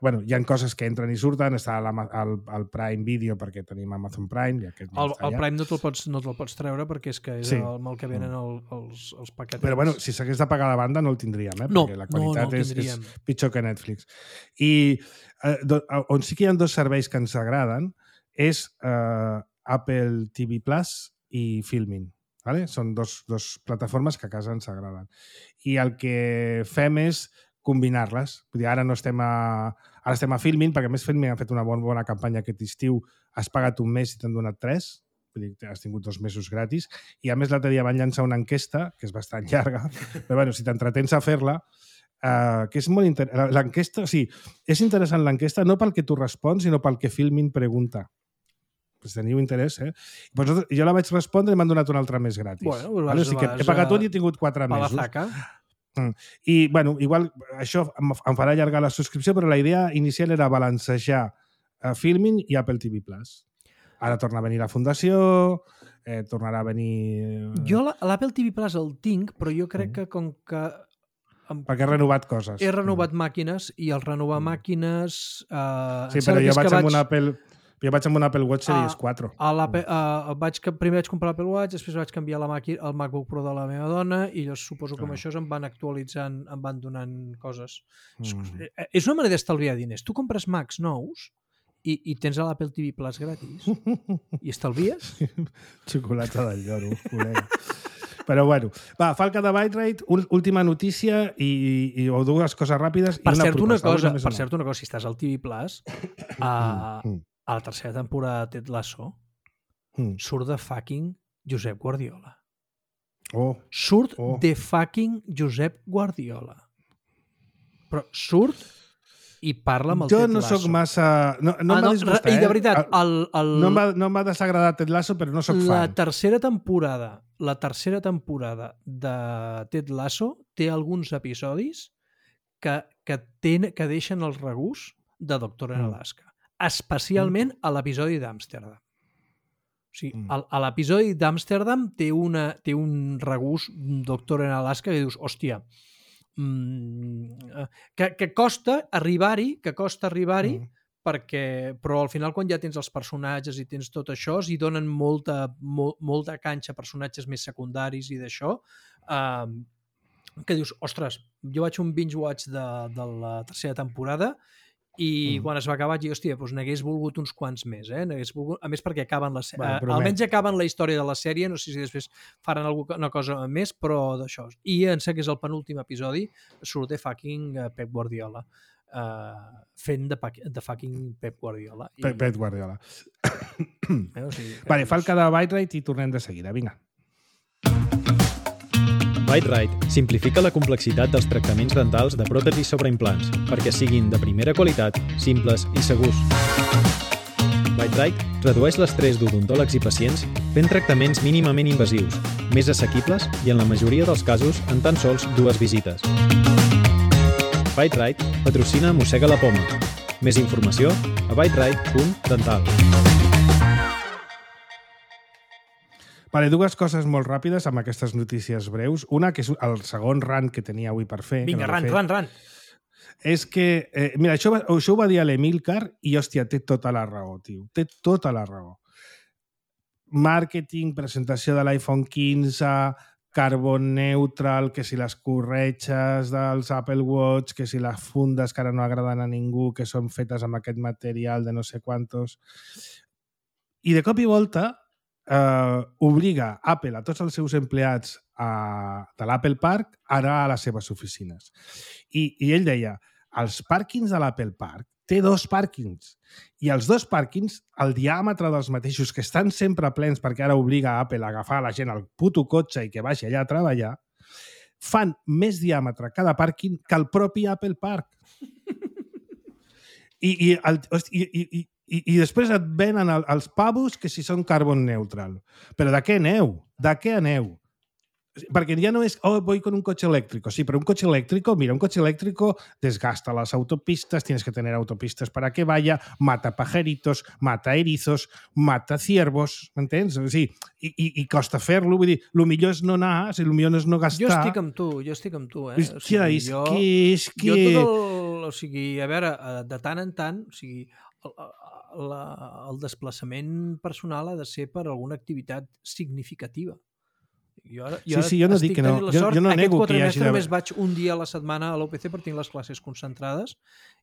bueno, hi ha coses que entren i surten, està al, al Prime Video perquè tenim Amazon Prime. I aquest ja el, el Prime no te'l pots, no te pots treure perquè és que és sí. el, el que venen el, els, els paquetets. Però bueno, si s'hagués de pagar la banda no el tindríem, eh? No, perquè la qualitat no, no és, és pitjor que Netflix. I uh, do, on sí que hi ha dos serveis que ens agraden és uh, Apple T V Plus i Filmin. Vale? Són dos, dos plataformes que a casa ens agraden. I el que fem és combinar-les. Vull dir, ara no estem a, ara estem a Filmin, perquè a més Filmin ha fet una bona, bona campanya aquest estiu. Has pagat un mes i t'han donat tres. vull dir, has tingut dos mesos gratis, i a més l'altre dia van llançar una enquesta, que és bastant llarga, però bueno, si t'entretens a fer-la, uh, que és molt interessant. L'enquesta, o sigui, és interessant l'enquesta no pel que tu respons, sinó pel que Filmin pregunta. Pues teniu interès, eh? Pues jo la vaig respondre i m'han donat una altra més gratis. Bueno, vas, vale? O sigui que he pagat un i he tingut quatre pa mesos. la zaca. Mm. I, bueno, igual això em, em farà allargar la subscripció, però la idea inicial era balancejar uh, Filmin i Apple T V Plus. Ara torna a venir la Fundació, eh, tornarà a venir... Jo l'Apple T V Plus el tinc, però jo crec que com que... Perquè he renovat coses. He renovat màquines i al renovar màquines... Eh, sí, però jo vaig amb un Apple... Jo vaig amb un Apple Watch Series quatre. A l'Apple, uh, vaig, primer vaig comprar l'Apple Watch, després vaig canviar la màquina, el MacBook Pro de la meva dona i jo suposo que amb això em van actualitzant, em van donant coses. Mm. És una manera d'estalviar diners. Tu compres Macs nous i, i tens a l'Apple T V Plus gratis i estalvies. Xocolata del lloro, col·lega. Però bueno, va, Falca de Byte-Rate, última notícia i, i, o dues coses ràpides per i una cert, proposta. Una cosa, per cert, una cosa, si estàs al T V Plus, a, a la tercera temporada de Ted Lasso, mm. surt de fucking Josep Guardiola. Oh. Surt oh. de fucking Josep Guardiola. Però surt i parla amb el jo Ted Lasso. Jo no sóc massa... No, no ah, m'ha no, disgustat, I de eh? veritat, el... el... No m'ha desagradat Ted Lasso, però no sóc fan. La tercera temporada, la tercera temporada de Ted Lasso té alguns episodis que, que, ten, que deixen el regús de Doctor en Alaska. Mm. Especialment a l'episodi d'Amsterdam. O sigui, mm. a, a l'episodi d'Amsterdam té, una, té un regús Doctor en Alaska que dius, hòstia, mm, que, que costa arribar-hi, que costa arribar-hi, mm. perquè, però al final quan ja tens els personatges i tens tot això, s'hi donen molta, molt, molta canxa a personatges més secundaris i d'això, eh, que dius, ostres, jo vaig un binge-watch de, de la tercera temporada i mm. quan es va acabar vaig dir, hòstia, doncs n'hagués volgut uns quants més, eh? Volgut... A més perquè acaben la sèrie. Bueno, almenys acaben la història de la sèrie, no sé si després faran alguna cosa més, però d'això. I em sembla que és el penúltim episodi, surt de fucking Pep Guardiola. Uh, fent de, de fucking Pep Guardiola. I... Pep, Pep Guardiola. Eh, o sigui, vale, Falca de Byte-Rate i tornem de seguida. Vinga. Byte-Rate simplifica la complexitat dels tractaments dentals de pròtesis sobre implants perquè siguin de primera qualitat, simples i segurs. Byte-Rate redueix l'estrès d'odontòlegs i pacients fent tractaments mínimament invasius, més assequibles i en la majoria dels casos en tan sols dues visites. Byte-Rate patrocina Mossega la Poma. Més informació a byterate punt dental. Vale, dues coses molt ràpides amb aquestes notícies breus. Una, que és el segon rant que tenia avui per fer. Vinga, no rant, fer, rant, rant. És que, eh, mira, això, això ho va dir a l'Emilcar i, hòstia, té tota la raó, tio. Té tota la raó. Màrqueting, presentació de l'iPhone quinze, carbon neutral, que si les corretges dels Apple Watch, que si les fundes que ara no agraden a ningú, que són fetes amb aquest material de no sé quantos. I de cop i volta Uh, obliga Apple a tots els seus empleats a, de l'Apple Park ara a les seves oficines. I, i ell deia, els pàrquings de l'Apple Park té dos pàrquings i els dos pàrquings, el diàmetre dels mateixos, que estan sempre plens perquè ara obliga a Apple a agafar la gent al puto cotxe i que vagi allà a treballar, fan més diàmetre cada pàrquing que el propi Apple Park. I, i, el, i, i, i I, i després et venen el, els pavos que si són carbon neutral. Però de què aneu? De què aneu? Perquè ja no és, oh, voy con un coche eléctrico. Sí, pero un coche eléctrico, mira, un coche eléctrico desgasta las autopistas, tienes que tener autopistas para que vaya, mata pajaritos, mata erizos, mata ciervos, m'entens? O sigui, i, i, i costa fer-lo, vull dir, el millor és no anar, si el millor no és no gastar. Jo estic amb tu, jo estic amb tu, eh? Hòstia, o sigui, és jo, que... És que... Jo tot el... O sigui, a veure, de tant en tant, o sigui, el, la, el desplaçament personal ha de ser per alguna activitat significativa. Jo ara, jo sí, sí, jo no dic que no. Jo, jo no nego que hi hagi... Aquest només vaig un dia a la setmana a l'O P C per tenir les classes concentrades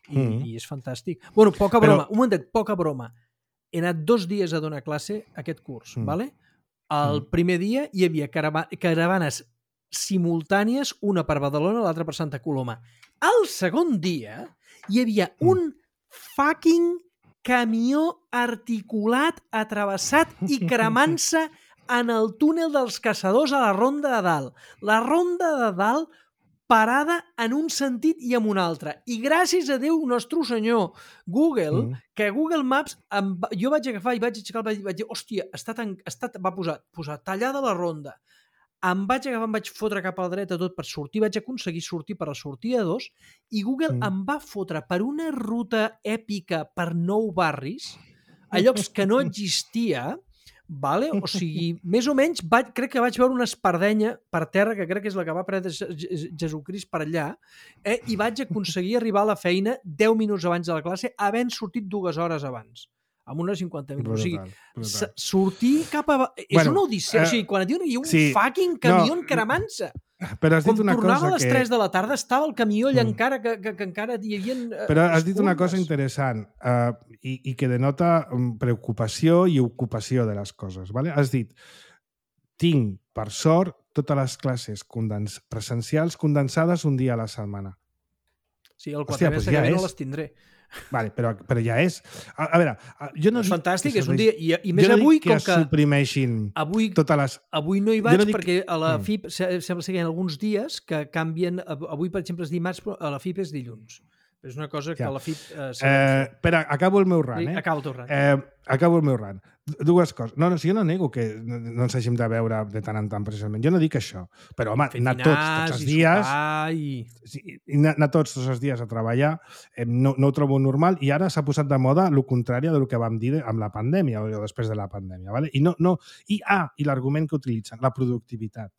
i, mm -hmm. i és fantàstic. Bueno, poca broma, Però... un momentet, poca broma. He anat dos dies a donar classe aquest curs, mm. ¿vale? El mm. primer dia hi havia carava caravanes simultànies, una per Badalona, l'altra per Santa Coloma. El segon dia hi havia mm. un fucking camió articulat, atravessat i cremant-se en el túnel dels caçadors a la Ronda de Dalt. La Ronda de Dalt parada en un sentit i en un altre. I gràcies a Déu, nostre senyor, Google, mm. que Google Maps, em va, jo vaig agafar i vaig aixecar el vaig, vaig dir, hòstia, està tan, està, va posar, posar tallada la ronda. Em vaig agafar, em vaig fotre cap a la dreta tot per sortir, vaig aconseguir sortir per la sortida dos i Google mm. em va fotre per una ruta èpica per nou barris, a llocs que no existia, vale? O sigui, més o menys, vaig, crec que vaig veure una espardenya per terra, que crec que és la que va prendre Jesucrist per allà, eh? I vaig aconseguir arribar a la feina deu minuts abans de la classe, havent sortit dues hores abans, amb unes cinquanta minuts. Brutal, o sigui, sortir cap a... És bueno, una odissea. Eh, o sigui, quan et diuen que hi ha un sí, fucking camió no, cremant-se. Però has dit Quan una tornava cosa a les que... tres de la tarda estava el camió allà mm. encara, que, que, que encara hi havia... Uh, Però has dit una cosa interessant uh, i, i que denota preocupació i ocupació de les coses. Vale? Has dit, tinc, per sort, totes les classes condens... presencials condensades un dia a la setmana. Sí, el quatre mes que ve no les tindré. Vale, però, però ja és... A, a veure, jo no és dic... fantàstic, és un dia... I, i més no avui, que com que... suprimeixin avui, totes les... Avui no hi vaig no dic... perquè a la F I P mm. sembla ser que hi ha alguns dies que canvien... Avui, per exemple, és dimarts, però a la F I P és dilluns. És una cosa que ja. a la F I P... Eh, eh, espera, acabo el meu rant, eh? Acabo el teu rant. Eh, acabo el meu rant. Dues coses. No, no, si jo no nego que no, no ens hàgim de veure de tant en tant precisament. Jo no dic això. Però, home, anar tots, tots els dies... I... Sí, anar tots, tots els dies a treballar eh, no, no ho trobo normal i ara s'ha posat de moda el contrari del que vam dir amb la pandèmia o després de la pandèmia. Vale? I, no, no, i, ah, i l'argument que utilitzen, la productivitat.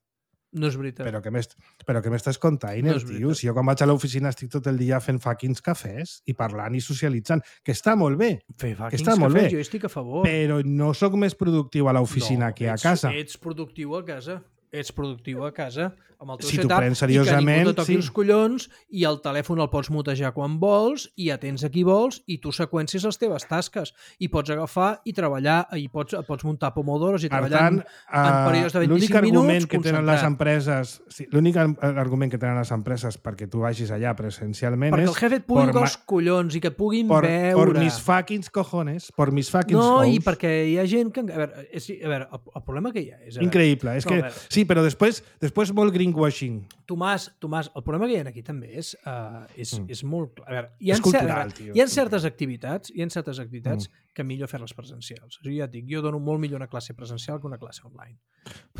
No és veritat. Però que m'estàs contant, no tio? Si jo quan vaig a l'oficina estic tot el dia fent fucking cafès i parlant i socialitzant, que està molt bé. Fer que està molt cafès, bé. Jo estic a favor. Però no sóc més productiu a l'oficina no, que a casa. Ets productiu a casa. Ets productiu a casa amb el teu si setup prens seriosament, i que ningú te toqui sí. els collons i el telèfon el pots mutejar quan vols i atens a qui vols i tu seqüencies les teves tasques i pots agafar i treballar i pots, pots muntar pomodoros i per treballar tant, en, en períodes de vint-i-cinc minuts que tenen les empreses, sí, l'únic argument que tenen les empreses perquè tu vagis allà presencialment perquè és... Perquè el jefe et pugui tocar els collons i que et puguin por, veure. Por mis fucking cojones, por mis fucking no, sous. I perquè hi ha gent que... A veure, és, a veure el, el problema que hi ha és... Increïble. És no, que, sí, però després, després molt greenwashing. Tomàs, Tomàs, el problema que hi ha aquí també és, uh, és, mm. és molt clar. A veure, hi ha, és cultural, tio. Hi ha certes activitats, hi ha certes activitats mm. que millor fer-les presencials. O sigui, ja et dic, jo dono molt millor una classe presencial que una classe online.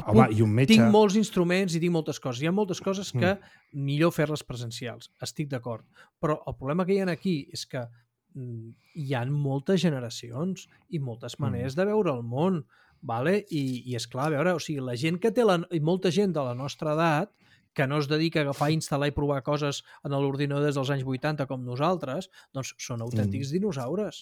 Home, i un metge... Tinc molts instruments i tinc moltes coses. Hi ha moltes coses que mm. millor fer-les presencials. Estic d'acord. Però el problema que hi ha aquí és que mm, hi ha moltes generacions i moltes maneres mm. de veure el món. Vale? I, i és clar, a veure, o sigui, la gent que té la, i molta gent de la nostra edat que no es dedica a agafar, instal·lar i provar coses en l'ordinador des dels anys vuitanta com nosaltres, doncs són autèntics mm. dinosaures.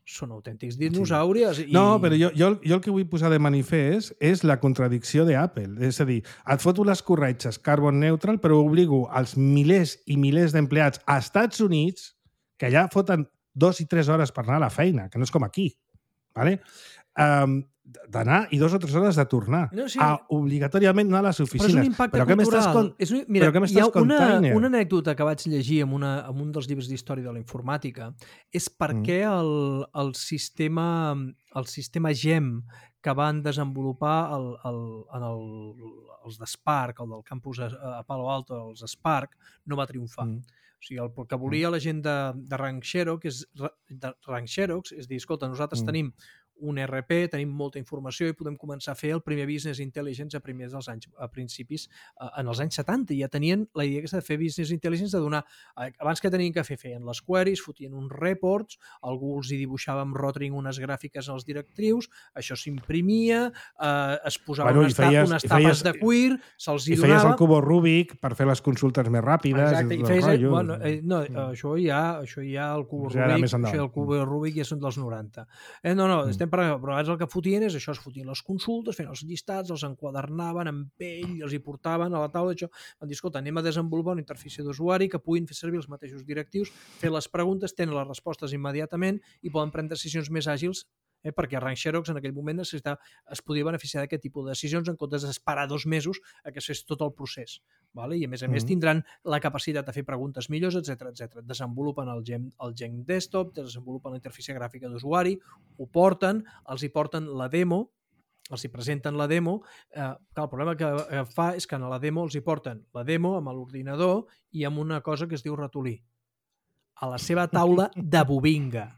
Són autèntics dinosaures. Sí. I... No, però jo, jo, jo el que vull posar de manifest és la contradicció d'Apple. És a dir, et foto les corretges carbon neutral, però obligo als milers i milers d'empleats a Estats Units, que allà foten dos i tres hores per anar a la feina, que no és com aquí. Vale? Um, d'anar i dues o tres hores de tornar no, sí. a obligatòriament anar a les oficines. Però és un impacte però cultural. Con... És un... Mira, però hi ha una, una anècdota que vaig llegir en, una, en un dels llibres d'història de la informàtica és per mm. què el, el, sistema, el sistema GEM que van desenvolupar el, el, en el, els d'Spark, el del campus a, a Palo Alto, els Spark, no va triomfar. Mm. O sigui, el que volia la gent de, de Rank Xerox és, de Rank Xerox és dir, escolta, nosaltres mm. tenim un R P, tenim molta informació i podem començar a fer el primer business intelligence a primers dels anys, a principis, en els anys setanta. Ja tenien la idea aquesta de fer business intelligence, de donar, abans que tenien que fer, feien les queries, fotien uns reports, algú els hi dibuixava amb Rotring unes gràfiques als directrius, això s'imprimia, eh, es posava bueno, unes, feies, unes tapes feies, de cuir, se'ls hi donava... I feies el cubo Rubik per fer les consultes més ràpides. Exacte, i, i feies... Rotllo. Bueno, eh, no, mm. això ja, això ja el cubo ja Rubik, això el cubo Rubik ja són dels noranta. Eh, no, no, mm. estem parlant, però abans el que fotien és això, es fotien les consultes, feien els llistats, els enquadernaven en pell, els hi portaven a la taula, això. Van dir, escolta, anem a desenvolupar una interfície d'usuari que puguin fer servir els mateixos directius, fer les preguntes, tenen les respostes immediatament i poden prendre decisions més àgils Eh? Perquè Rank Xerox en aquell moment necessitava, es podia beneficiar d'aquest tipus de decisions en comptes d'esperar dos mesos a que es fes tot el procés. Vale? I a més a més Mm. tindran la capacitat de fer preguntes millors, etcètera etcètera. Desenvolupen el Gen, el Gen Desktop, desenvolupen la interfície gràfica d'usuari, ho porten, els hi porten la demo, els hi presenten la demo. Eh, clar, el problema que eh, fa és que a la demo els hi porten la demo amb l'ordinador i amb una cosa que es diu ratolí. A la seva taula de bobinga.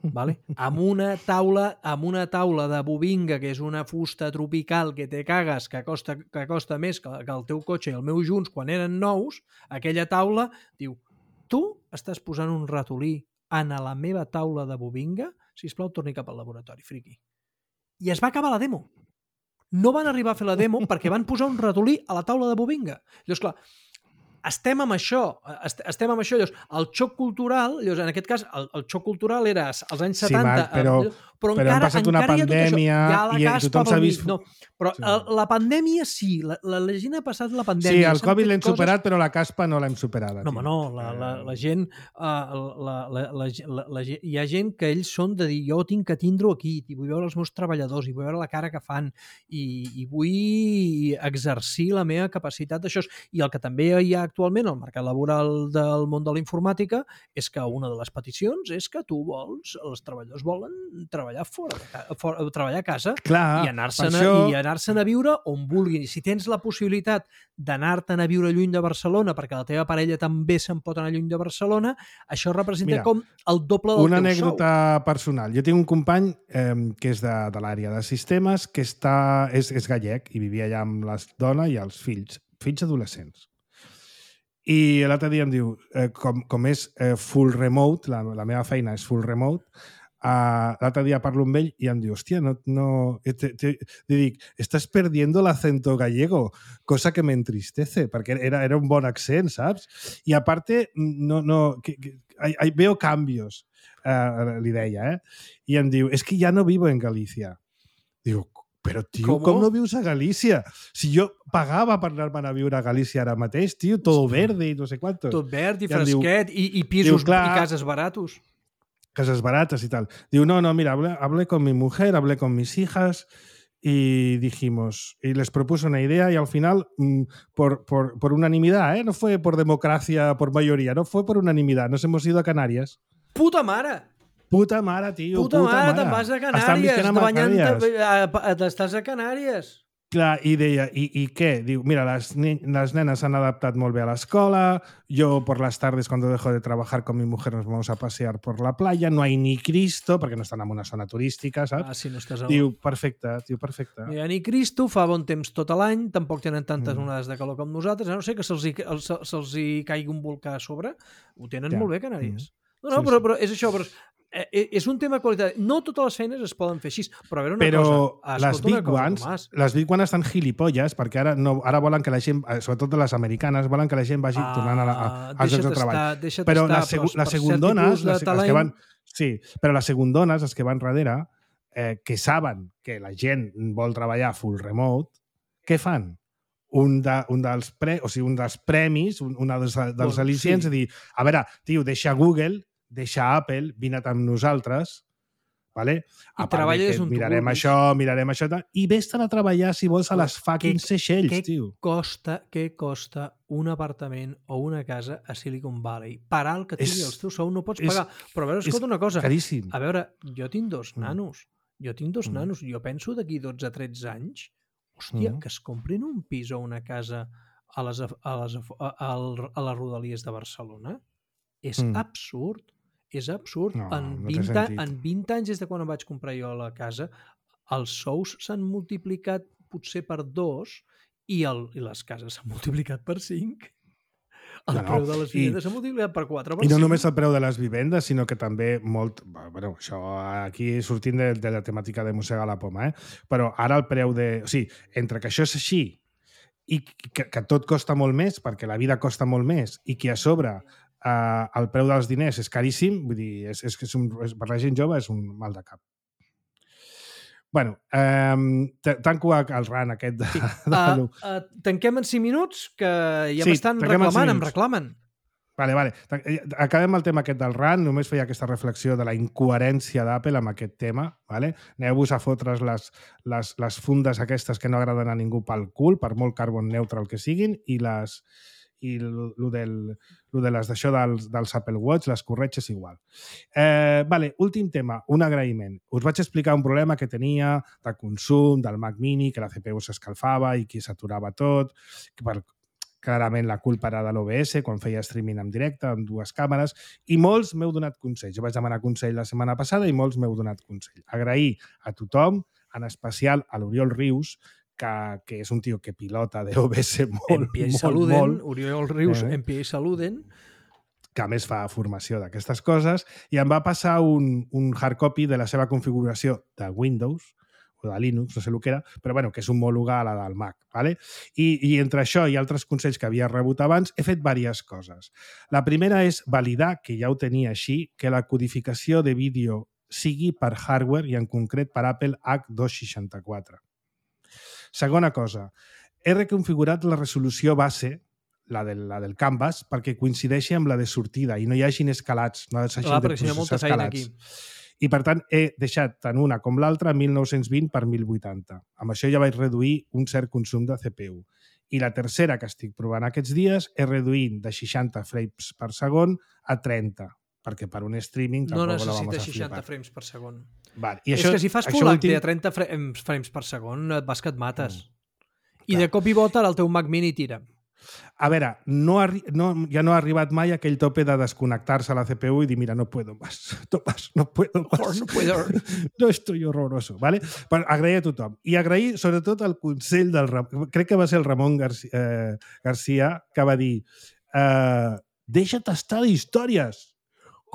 Vale? Amb una taula amb una taula de bobinga, que és una fusta tropical que te cagues, que costa, que costa més que, que el teu cotxe i el meu junts quan eren nous, aquella taula diu, tu estàs posant un ratolí en la meva taula de bobinga? Sisplau, torni cap al laboratori, friqui. I es va acabar la demo. No van arribar a fer la demo perquè van posar un ratolí a la taula de bobinga. Llavors, clar, estem amb això, est estem amb això, llavors, el xoc cultural, llavors, en aquest cas, el, el xoc cultural era als anys setanta, sí, Marc, però, però, però encara, han passat una pandèmia ja i tothom s'ha vist... No, però sí. el, la pandèmia sí, la, la, la gent ha passat la pandèmia. Sí, el Covid l'hem coses... superat, però la caspa no l'hem superada. No, home, no, la, la, la gent, uh, la, la, la, la, la, hi ha gent que ells són de dir, jo tinc que tindre-ho aquí, i vull veure els meus treballadors, i vull veure la cara que fan, i, i vull exercir la meva capacitat d'això. I el que també hi ha actualment al mercat laboral del món de la informàtica és que una de les peticions és que tu vols, els treballadors volen treballar fora, fora treballar a casa. Clar, i anar-se'n això... i anar-se'n a viure on vulguin. I si tens la possibilitat d'anar-te'n a viure lluny de Barcelona perquè la teva parella també se'n pot anar lluny de Barcelona, això representa Mira, com el doble del una teu anècdota sou. personal. Jo tinc un company eh, que és de, de l'àrea de sistemes, que està, és, és gallec i vivia allà amb la dona i els fills, fills adolescents. I l'altre dia em diu, eh, com, com és eh, full remote, la, la meva feina és full remote, uh, l'altre dia parlo amb ell i em diu, hòstia, no... no te, te, te dic, estás perdiendo el acento gallego, cosa que me entristece, perquè era, era un bon accent, saps? I aparte, no, no, que, que, hay, hay, veo cambios, uh, li deia, eh? I em diu, es que ya no vivo en Galicia. Diu, però, tio, com, com no vius a Galícia? Si jo pagava per anar-me'n a viure a Galícia ara mateix, tio, todo verde i no sé quantos. Tot verd i I fresquet diu, i, i pisos diu, clar, i cases baratos. Cases baratas y tal. Digo, no, no, mira, hablé, hablé con mi mujer, hablé con mis hijas y dijimos, y les propuse una idea y al final, mmm, por, por, por unanimidad, ¿eh? No fue por democracia, por mayoría, no fue por unanimidad. Nos hemos ido a Canarias. Puta mare! Puta mare, tio, puta, puta mare! mare. Te'n vas a Canàries, estàs a Canàries. Clar, i deia, i, i què? Diu, mira, les, les nenes s'han adaptat molt bé a l'escola, yo por las tardes cuando dejo de trabajar con mi mujer nos vamos a pasear por la playa, no hay ni Cristo, perquè no estan en una zona turística, saps? Ah, si no estàs a... Diu, perfecte, diu, perfecte. No hi ha ni Cristo, fa bon temps tot l'any, tampoc tenen tantes mm. onades de calor com nosaltres, a no sé que se'ls hi, se, se hi caigui un volcà a sobre, ho tenen ja. molt bé, Canàries. Mm. No, no, sí, però, però és això, però eh, és un tema de qualitat. No totes les feines es poden fer així, però a veure una però cosa. Les Big cosa, Ones, les Big Ones estan gilipolles, perquè ara, no, ara volen que la gent, sobretot de les americanes, volen que la gent vagi ah, tornant a la, a, als llocs de treball. Però les, segu les segundones, les, les que van, sí, però les segundones, les que van darrere, eh, que saben que la gent vol treballar full remote, què fan? Un, de, un, dels pre, o sigui, un dels premis, un, un dels, dels al·licients, sí. dir, a veure, tio, deixa Google, deixa Apple, vine amb nosaltres, vale? I treballes on mirarem tu això, mirarem això, i vés-te'n a treballar, si vols, a les fucking Seychelles, què tio. Costa, què costa un apartament o una casa a Silicon Valley? Per alt que tingui els teus sous no pots és, pagar. Però a veure, escolta una cosa. Caríssim. A veure, jo tinc dos nanos. Jo tinc dos mm. nanos. Jo penso d'aquí dotze a tretze anys, hòstia, mm. que es comprin un pis o una casa a les, a les, a, a, a les rodalies de Barcelona. És mm. absurd. És absurd. No, en, no vint, en vint anys des de quan em vaig comprar jo la casa, els sous s'han multiplicat potser per dos i, el, i les cases s'han multiplicat per cinc. El no, preu de les vivendes s'ha multiplicat per quatre. Per I no cinc. només el preu de les vivendes, sinó que també molt... Bueno, això aquí sortint de, de la temàtica de Mossegar la Poma, eh? Però ara el preu de... O sigui, entre que això és així i que, que tot costa molt més, perquè la vida costa molt més, i que a sobre Uh, el preu dels diners és caríssim, vull dir, és, és, és un, és, per la gent jove és un mal de cap. Bueno, um, tanco el ran aquest de... Sí. de uh, uh, tanquem en cinc minuts, que ja sí, m'estan reclamant, em reclamen. Vale, vale. Acabem el tema aquest del R A N. Només feia aquesta reflexió de la incoherència d'Apple amb aquest tema. Vale? Aneu-vos a fotre's les, les, les fundes aquestes que no agraden a ningú pel cul, per molt carbon neutral que siguin, i les i lo del, lo de les d'això dels, dels Apple Watch, les corretges igual. Eh, vale, últim tema, un agraïment. Us vaig explicar un problema que tenia de consum del Mac Mini, que la C P U s'escalfava i que s'aturava tot, que per clarament la culpa era de l'O B S quan feia streaming en directe amb dues càmeres, i molts m'heu donat consell. Jo vaig demanar consell la setmana passada i molts m'heu donat consell. Agrair a tothom, en especial a l'Oriol Rius, que, que és un tio que pilota de O B S molt, molt, saluden, molt. Oriol Rius, eh? en pie i saluden. Que a més fa formació d'aquestes coses, i em va passar un, un hard copy de la seva configuració de Windows, o de Linux, no sé el que era, però bueno, que és homòloga a la del Mac. ¿Vale? I, I entre això i altres consells que havia rebut abans, he fet diverses coses. La primera és validar, que ja ho tenia així, que la codificació de vídeo sigui per hardware i en concret per Apple H dos seixanta-quatre. Segona cosa, he reconfigurat la resolució base, la del, la del Canvas, perquè coincideixi amb la de sortida i no hi hagin escalats. No hagin Clar, de perquè si hi ha molta feina aquí. I, per tant, he deixat tant una com l'altra mil nou-cents vint per mil vuitanta. Amb això ja vaig reduir un cert consum de C P U. I la tercera que estic provant aquests dies és reduint de seixanta frames per segon a trenta, perquè per un streaming no tampoc la vamos a necessites seixanta flipar. frames per segon. Vale. I és això, que si fas Full H D a trenta frames per segon, et vas que et mates. Mm. I de cop i volta el teu Mac Mini tira. A veure, no, no, ja no ha arribat mai aquell tope de desconnectar-se a la C P U i dir, mira, no puedo más, no, más, no puedo más, no, puedo. no estoy horroroso. ¿Vale? Per agrair a tothom. I agrair sobretot el consell del... Crec que va ser el Ramon Garcia, eh, Garcia que va dir eh, deixa't estar d'històries.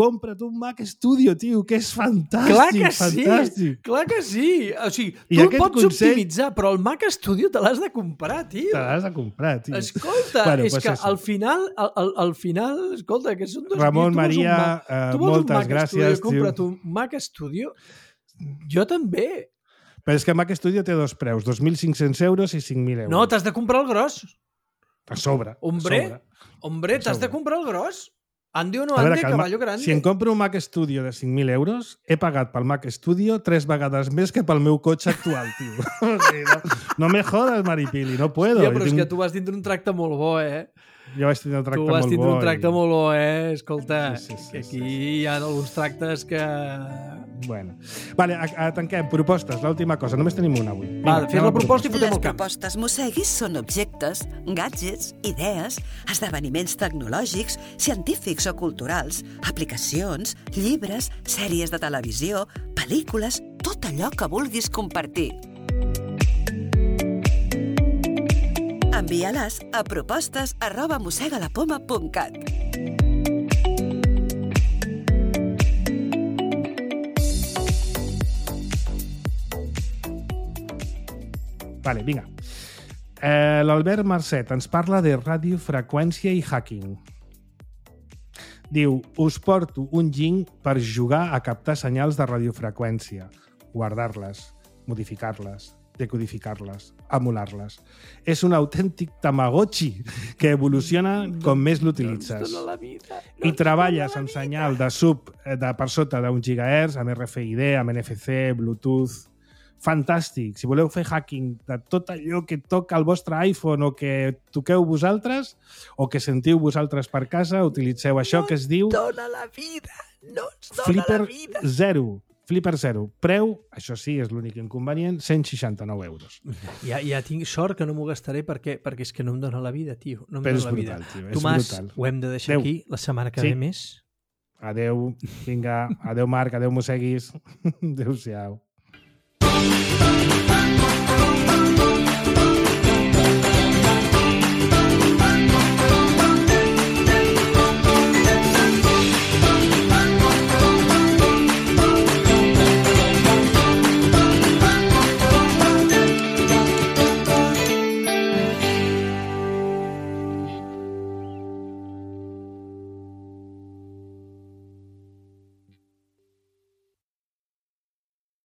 Compra't un Mac Studio, tio, que és fantàstic. Clar que fantàstic. sí, clar que sí. O sigui, I tu el pots consell... optimitzar, però el Mac Studio te l'has de comprar, tio. Te l'has de comprar, tio. Escolta, bueno, és pues que això. al final, al, al, al final, escolta, que són dos... Ramon, tu Maria, Mac, uh, tu moltes Mac gràcies, Studio, compra't un Mac Studio. Jo també. Però és que Mac Studio té dos preus, dos mil cinc-cents euros i cinc mil euros. No, t'has de comprar el gros. A sobre. Hombre, a sobre. hombre, t'has de comprar el gros. Ande o no veure, ande, caballo grande. Si em compro un Mac Studio de cinc mil euros, he pagat pel Mac Studio tres vegades més que pel meu cotxe actual, tio. O sigui, no, no me jodas, Maripili, no puedo. Hòstia, però jo és tinc... que tu vas tindre un tracte molt bo, eh? Jo vaig tindre un tracte molt bo. Tu vas tindre bo un tracte i... molt bo, eh? Escolta, sí, sí, sí, aquí sí, sí. hi ha alguns tractes que... Bueno. Vale, a, a, tanquem. Propostes, l'última cosa. Només tenim una avui. Va, fes la proposta i fotem Les el camp. propostes Mosseguis són objectes, gadgets, idees, esdeveniments tecnològics, científics o culturals, aplicacions, llibres, sèries de televisió, pel·lícules, tot allò que vulguis compartir. Envia-les a propostes arroba mossegalapoma punt cat. Vale, vinga. Eh, L'Albert Marcet ens parla de radiofreqüència i hacking. Diu, us porto un ging per jugar a captar senyals de radiofreqüència, guardar-les, modificar-les, decodificar-les, emular-les. És un autèntic tamagotchi que evoluciona com més l'utilitzes. I treballes amb senyal de sub de per sota d'un gigahertz, amb R F I D, amb N F C, Bluetooth... Fantàstic. Si voleu fer hacking de tot allò que toca el vostre iPhone o que toqueu vosaltres o que sentiu vosaltres per casa, utilitzeu això que es diu... No ens dona la vida! No ens dona Flipper la vida! Zero. Flipper Zero. Preu, això sí, és l'únic inconvenient, cent seixanta-nou euros. Ja, ja tinc sort que no m'ho gastaré perquè, perquè és que no em dona la vida, tio. No em Però dona és la brutal, vida. tio. És Tomàs, brutal. ho hem de deixar Adeu. aquí la setmana que Sí. ve més. Adeu, vinga. Adeu, Marc. Adeu, Mosseguis. Adéu-siau.